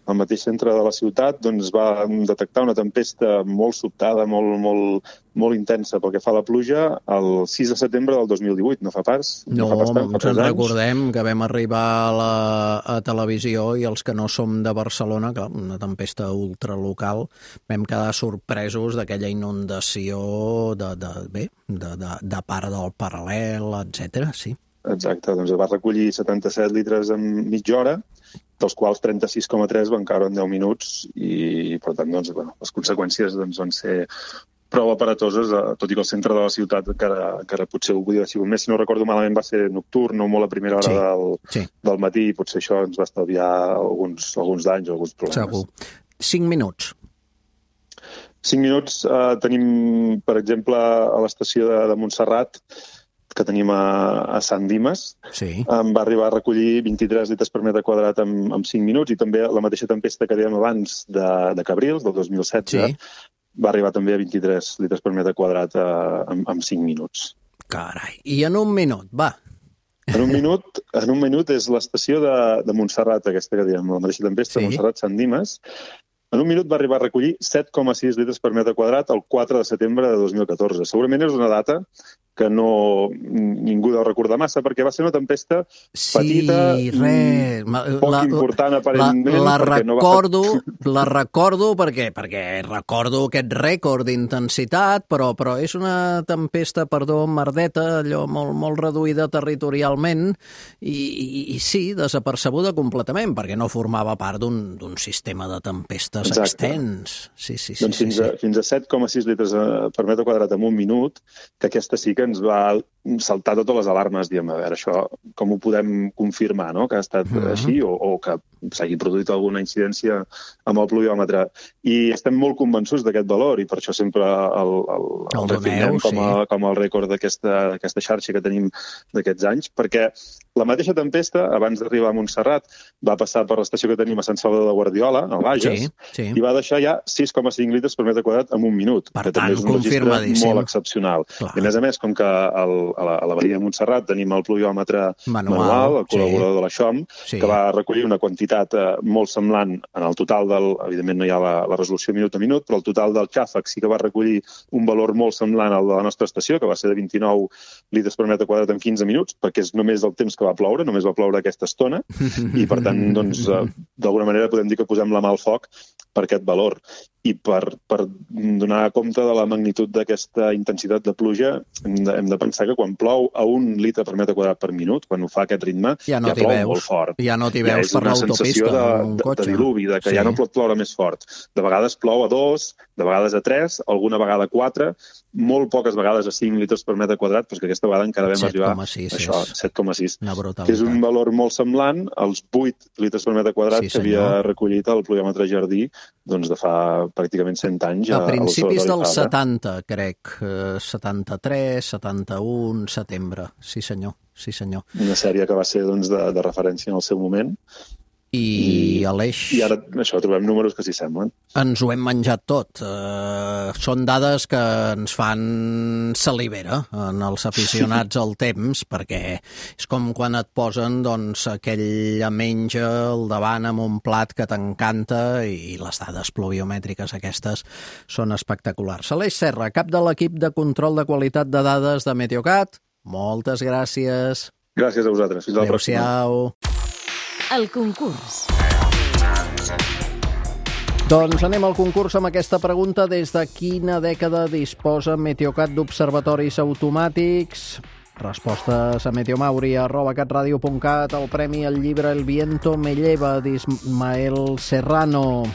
al mateix centre de la ciutat, doncs va detectar una tempesta molt sobtada, molt, molt, molt intensa pel que fa a la pluja, el sis de setembre del dos mil divuit, no fa pas. No, no fa pas tant, ens en recordem que vam arribar a la a televisió i els que no som de Barcelona, clar, una tempesta ultralocal, vam quedar sorpresos d'aquella inundació de, de, bé, de, de, de part del Paral·lel, etcètera, sí. Exacte, doncs va recollir setanta-set litres en mitja hora, dels quals trenta-sis coma tres van caure en deu minuts i, per tant, doncs, bueno, les conseqüències doncs, van ser prou aparatoses, tot i que el centre de la ciutat encara, encara potser ho podia haver sigut més. Si no recordo malament, va ser nocturn, no molt a primera hora sí, del, sí. del matí, i potser això ens va estalviar alguns, alguns danys o alguns problemes. Segur. Cinc minuts. Cinc minuts. Eh, tenim, per exemple, a l'estació de, de Montserrat, que tenim a, a Sant Dimes, sí. em va arribar a recollir vint-i-tres litres per metre quadrat en, en cinc minuts, i també la mateixa tempesta que dèiem abans de, de Cabrils, del dos mil setze, sí. va arribar també a vint-i-tres litres per metre quadrat uh, en, en cinc minuts. Carai, i en un minut, va. En un minut, en un minut és l'estació de, de Montserrat, aquesta que dèiem, la mateixa tempesta, sí. Montserrat-Sant Dimes. En un minut va arribar a recollir set coma sis litres per metre quadrat el quatre de setembre de dos mil catorze. Segurament és una data que no ningú deu recordar massa, perquè va ser una tempesta petita, sí, re, poc la, important aparentment. La, la recordo, no va... la recordo perquè, perquè recordo aquest rècord d'intensitat, però, però és una tempesta, perdó, merdeta, allò molt, molt reduïda territorialment i, i, i sí, desapercebuda completament, perquè no formava part d'un sistema de tempestes Exacte. extens. Sí, sí, sí, doncs fins, sí, sí. A, fins a set coma sis litres per metre quadrat en un minut, que aquesta sí que ens va saltar totes les alarmes, diem, a veure, això com ho podem confirmar, no?, que ha estat uh-huh. així, o, o que s'hagi produït alguna incidència amb el pluviòmetre. I estem molt convençuts d'aquest valor, i per això sempre el, el, el, el refinem com, a, sí. com el rècord d'aquesta xarxa que tenim d'aquests anys, perquè la mateixa tempesta, abans d'arribar a Montserrat, va passar per l'estació que tenim a Sant Salvador de Guardiola, al Bages, sí, sí. i va deixar ja sis coma cinc litres per metre quadrat en un minut, per que tant, també és un registre molt excepcional. Clar. I a més a més, com que el, a, la, a la Badia de Montserrat tenim el pluviòmetre manual, manual el col·laborador sí. de la X O M, sí. que va recollir una quantitat eh, molt semblant en el total del... Evidentment no hi ha la, la resolució minut a minut, però el total del xàfec sí que va recollir un valor molt semblant al de la nostra estació, que va ser de vint-i-nou litres per metre quadrat en quinze minuts, perquè és només el temps que va ploure, només va ploure aquesta estona, i per tant, doncs, eh, d'alguna manera podem dir que posem la mà al foc per aquest valor. I per, per donar compte de la magnitud d'aquesta intensitat de pluja, hem de, hem de pensar que quan plou a un litre per metre quadrat per minut, quan ho fa aquest ritme, ja, no ja plou veus. molt fort. Ja no t'hi veus ja per l'autopista, de, un de, cotxe. de diluvi, de que sí. ja no pot ploure més fort. De vegades plou a dos, de vegades a tres, alguna vegada a quatre, molt poques vegades a cinc litres per metre quadrat, però que aquesta vegada encara vam arribar a això, set coma sis. Que és un valor molt semblant als vuit litres per metre quadrat sí, que havia recollit el pluviòmetre Jardí doncs de fa pràcticament cent anys. A, a principis dels setanta, crec. setanta-tres, setanta-un, setembre. Sí, senyor. Sí, senyor. Una sèrie que va ser doncs, de, de referència en el seu moment. I, I Aleix... I ara això, trobem números que s'hi semblen. Ens ho hem menjat tot. Uh, són dades que ens fan salivera en els aficionats al temps, perquè és com quan et posen doncs, aquella menja al davant amb un plat que t'encanta i les dades pluviomètriques aquestes són espectaculars. Aleix Serra, cap de l'equip de control de qualitat de dades de Meteocat, moltes gràcies. Gràcies a vosaltres. Fins a la pròxima. Adéu-siau. El concurs. Doncs anem al concurs amb aquesta pregunta. Des de quina dècada disposa Meteocat d'observatoris automàtics? Respostes a meteomauri arroba catradio punt cat. El premi al llibre El viento me lleva d'Ismael Serrano.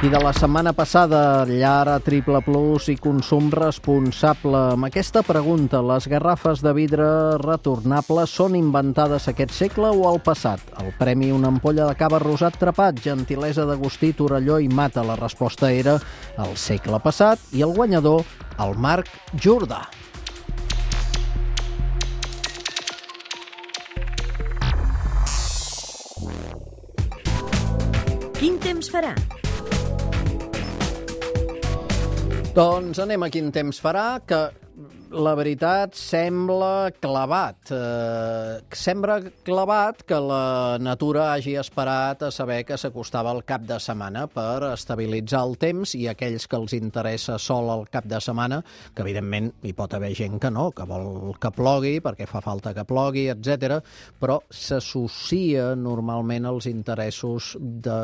I de la setmana passada, llar a Triple Plus i consum responsable. Amb aquesta pregunta, les garrafes de vidre retornables són inventades aquest segle o al passat? El premi, una ampolla de cava rosat trepat, gentilesa d'Agustí, Torelló i Mata. La resposta era el segle passat i el guanyador, el Marc Jordà. Quin temps farà? Doncs anem a quin temps farà, que la veritat sembla clavat. Eh, sembla clavat que la natura hagi esperat a saber que s'acostava el cap de setmana per estabilitzar el temps i aquells que els interessa sol el cap de setmana, que evidentment hi pot haver gent que no, que vol que plogui perquè fa falta que plogui, etcètera, però s'associa normalment als interessos de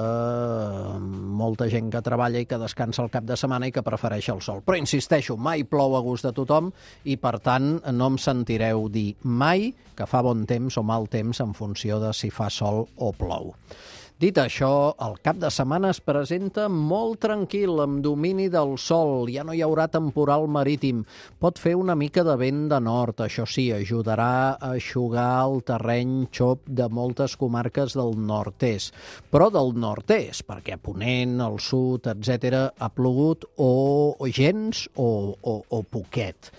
molta gent que treballa i que descansa el cap de setmana i que prefereix el sol. Però insisteixo, mai plou a gust de tothom i, per tant, no em sentireu dir mai que fa bon temps o mal temps en funció de si fa sol o plou. Dit això, el cap de setmana es presenta molt tranquil, amb domini del sol. Ja no hi haurà temporal marítim. Pot fer una mica de vent de nord, això sí, ajudarà a eixugar el terreny xop de moltes comarques del nord-est. Però del nord-est, perquè a Ponent, al sud, etcètera, ha plogut o gens o, o, o poquet.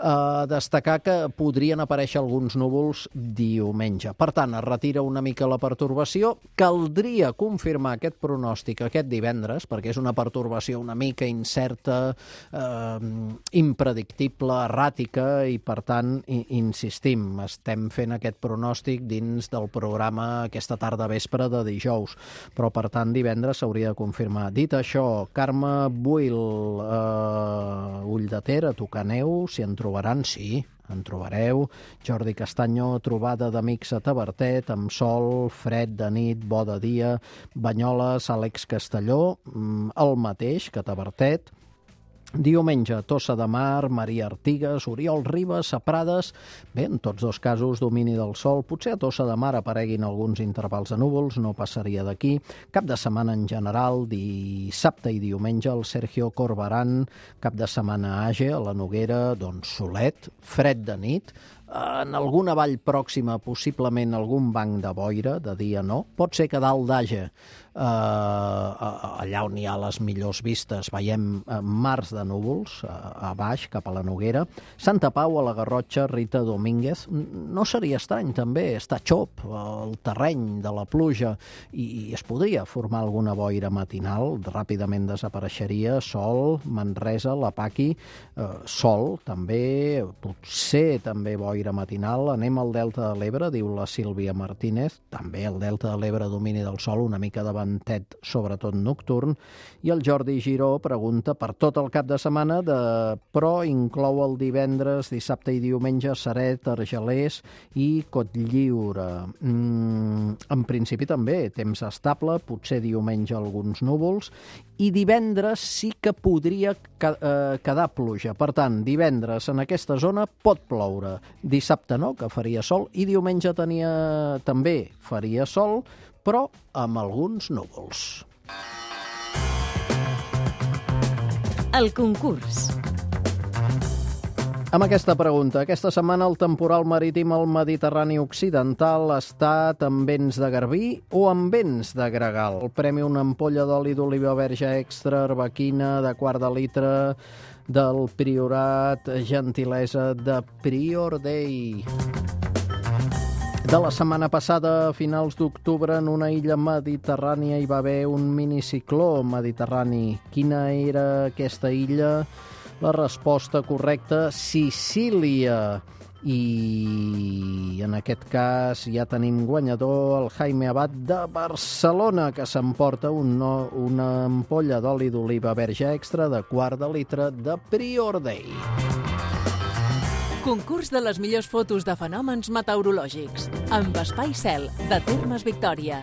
Uh, destacar que podrien aparèixer alguns núvols diumenge. Per tant, es retira una mica la pertorbació. Caldria podria confirmar aquest pronòstic aquest divendres, perquè és una pertorbació una mica incerta, eh, impredictible, erràtica, i per tant, i, insistim, estem fent aquest pronòstic dins del programa aquesta tarda vespre de dijous, però per tant divendres s'hauria de confirmar. Dit això, Carme Buil, eh, Ull de Ter, a tocar neu, si en trobaran, sí, en trobareu. Jordi Castanyo, trobada d'amics a Tavertet, amb sol, fred de nit, bo de dia. Banyoles, Àlex Castelló, el mateix que Tavertet. Diumenge, Tossa de Mar, Maria Artigas, Oriol Ribes, a Prades. Bé, en tots dos casos, domini del sol. Potser a Tossa de Mar apareguin alguns intervals de núvols, no passaria d'aquí. Cap de setmana en general, dissabte i diumenge, el Sergio Corberán. Cap de setmana a Age, a la Noguera, doncs solet, fred de nit. En alguna vall pròxima, possiblement algun banc de boira, de dia no. Pot ser que dalt d'Age, eh, allà on hi ha les millors vistes, veiem mars de núvols, a baix, cap a la Noguera. Santa Pau, a la Garrotxa, Rita Domínguez. No seria estrany, també, està xop el terreny de la pluja i es podria formar alguna boira matinal, ràpidament desapareixeria. Sol, Manresa, la Paqui, eh, sol, també, potser també boira matinal. Anem al Delta de l'Ebre, diu la Sílvia Martínez. També el Delta de l'Ebre, domini del sol, una mica de ventet, sobretot nocturn. I el Jordi Giró pregunta per tot el cap de setmana, de... però inclou el divendres, dissabte i diumenge, Ceret, Argelers i Cotlliure. Mm, en principi també, temps estable, potser diumenge alguns núvols, i divendres sí que podria quedar pluja. Per tant, divendres en aquesta zona pot ploure. Dissabte no, que faria sol, i diumenge tenia també faria sol, però amb alguns núvols. El concurs. Amb aquesta pregunta, aquesta setmana el temporal marítim al Mediterrani Occidental ha estat amb vents de garbí o amb vents de gregal. El premi, una ampolla d'oli d'oliva verge extra, arbequina, de quart de litre, del Priorat, gentilesa de Prior Day. De la setmana passada, a finals d'octubre, en una illa mediterrània hi va haver un minicicló mediterrani. Quina era aquesta illa? La resposta correcta, Sicília. I en aquest cas ja tenim guanyador, el Jaime Abad de Barcelona, que s'emporta un no, una ampolla d'oli d'oliva verge extra de quart de litre de Prior Day. Concurs de les millors fotos de fenòmens meteorològics, amb Espai Cel, de Termes Victòria.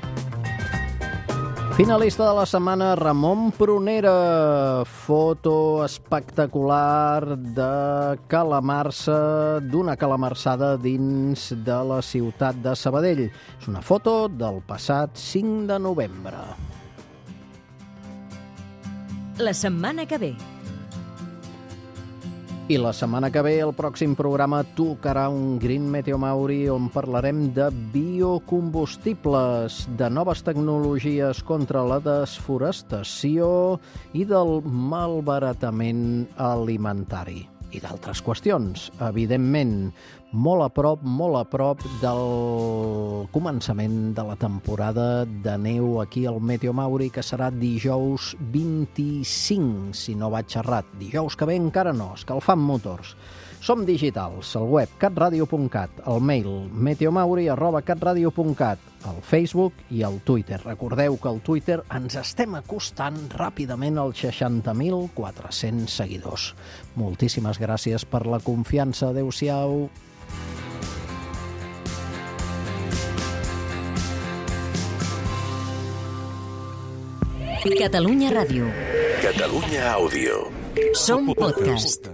Finalista de la setmana, Ramon Prunera. Foto espectacular de calamarsa, d'una calamarsada dins de la ciutat de Sabadell. És una foto del passat cinc de novembre. La setmana que ve. I la setmana que ve, el pròxim programa tocarà un Green Meteo Mauri on parlarem de biocombustibles, de noves tecnologies contra la desforestació i del malbaratament alimentari. I d'altres qüestions, evidentment, molt a prop, molt a prop del començament de la temporada de neu aquí al Meteo Mauri, que serà dijous vint-i-cinc, si no vaig errat. Dijous que ve encara no, escalfant motors. Som digitals, al web catradio punt cat, al mail meteomauri arroba catradio punt cat, al Facebook i al Twitter. Recordeu que al Twitter ens estem acostant ràpidament als seixanta mil quatre-cents seguidors. Moltíssimes gràcies per la confiança. Adéu-siau. Catalunya Ràdio. Catalunya Àudio. Som podcast.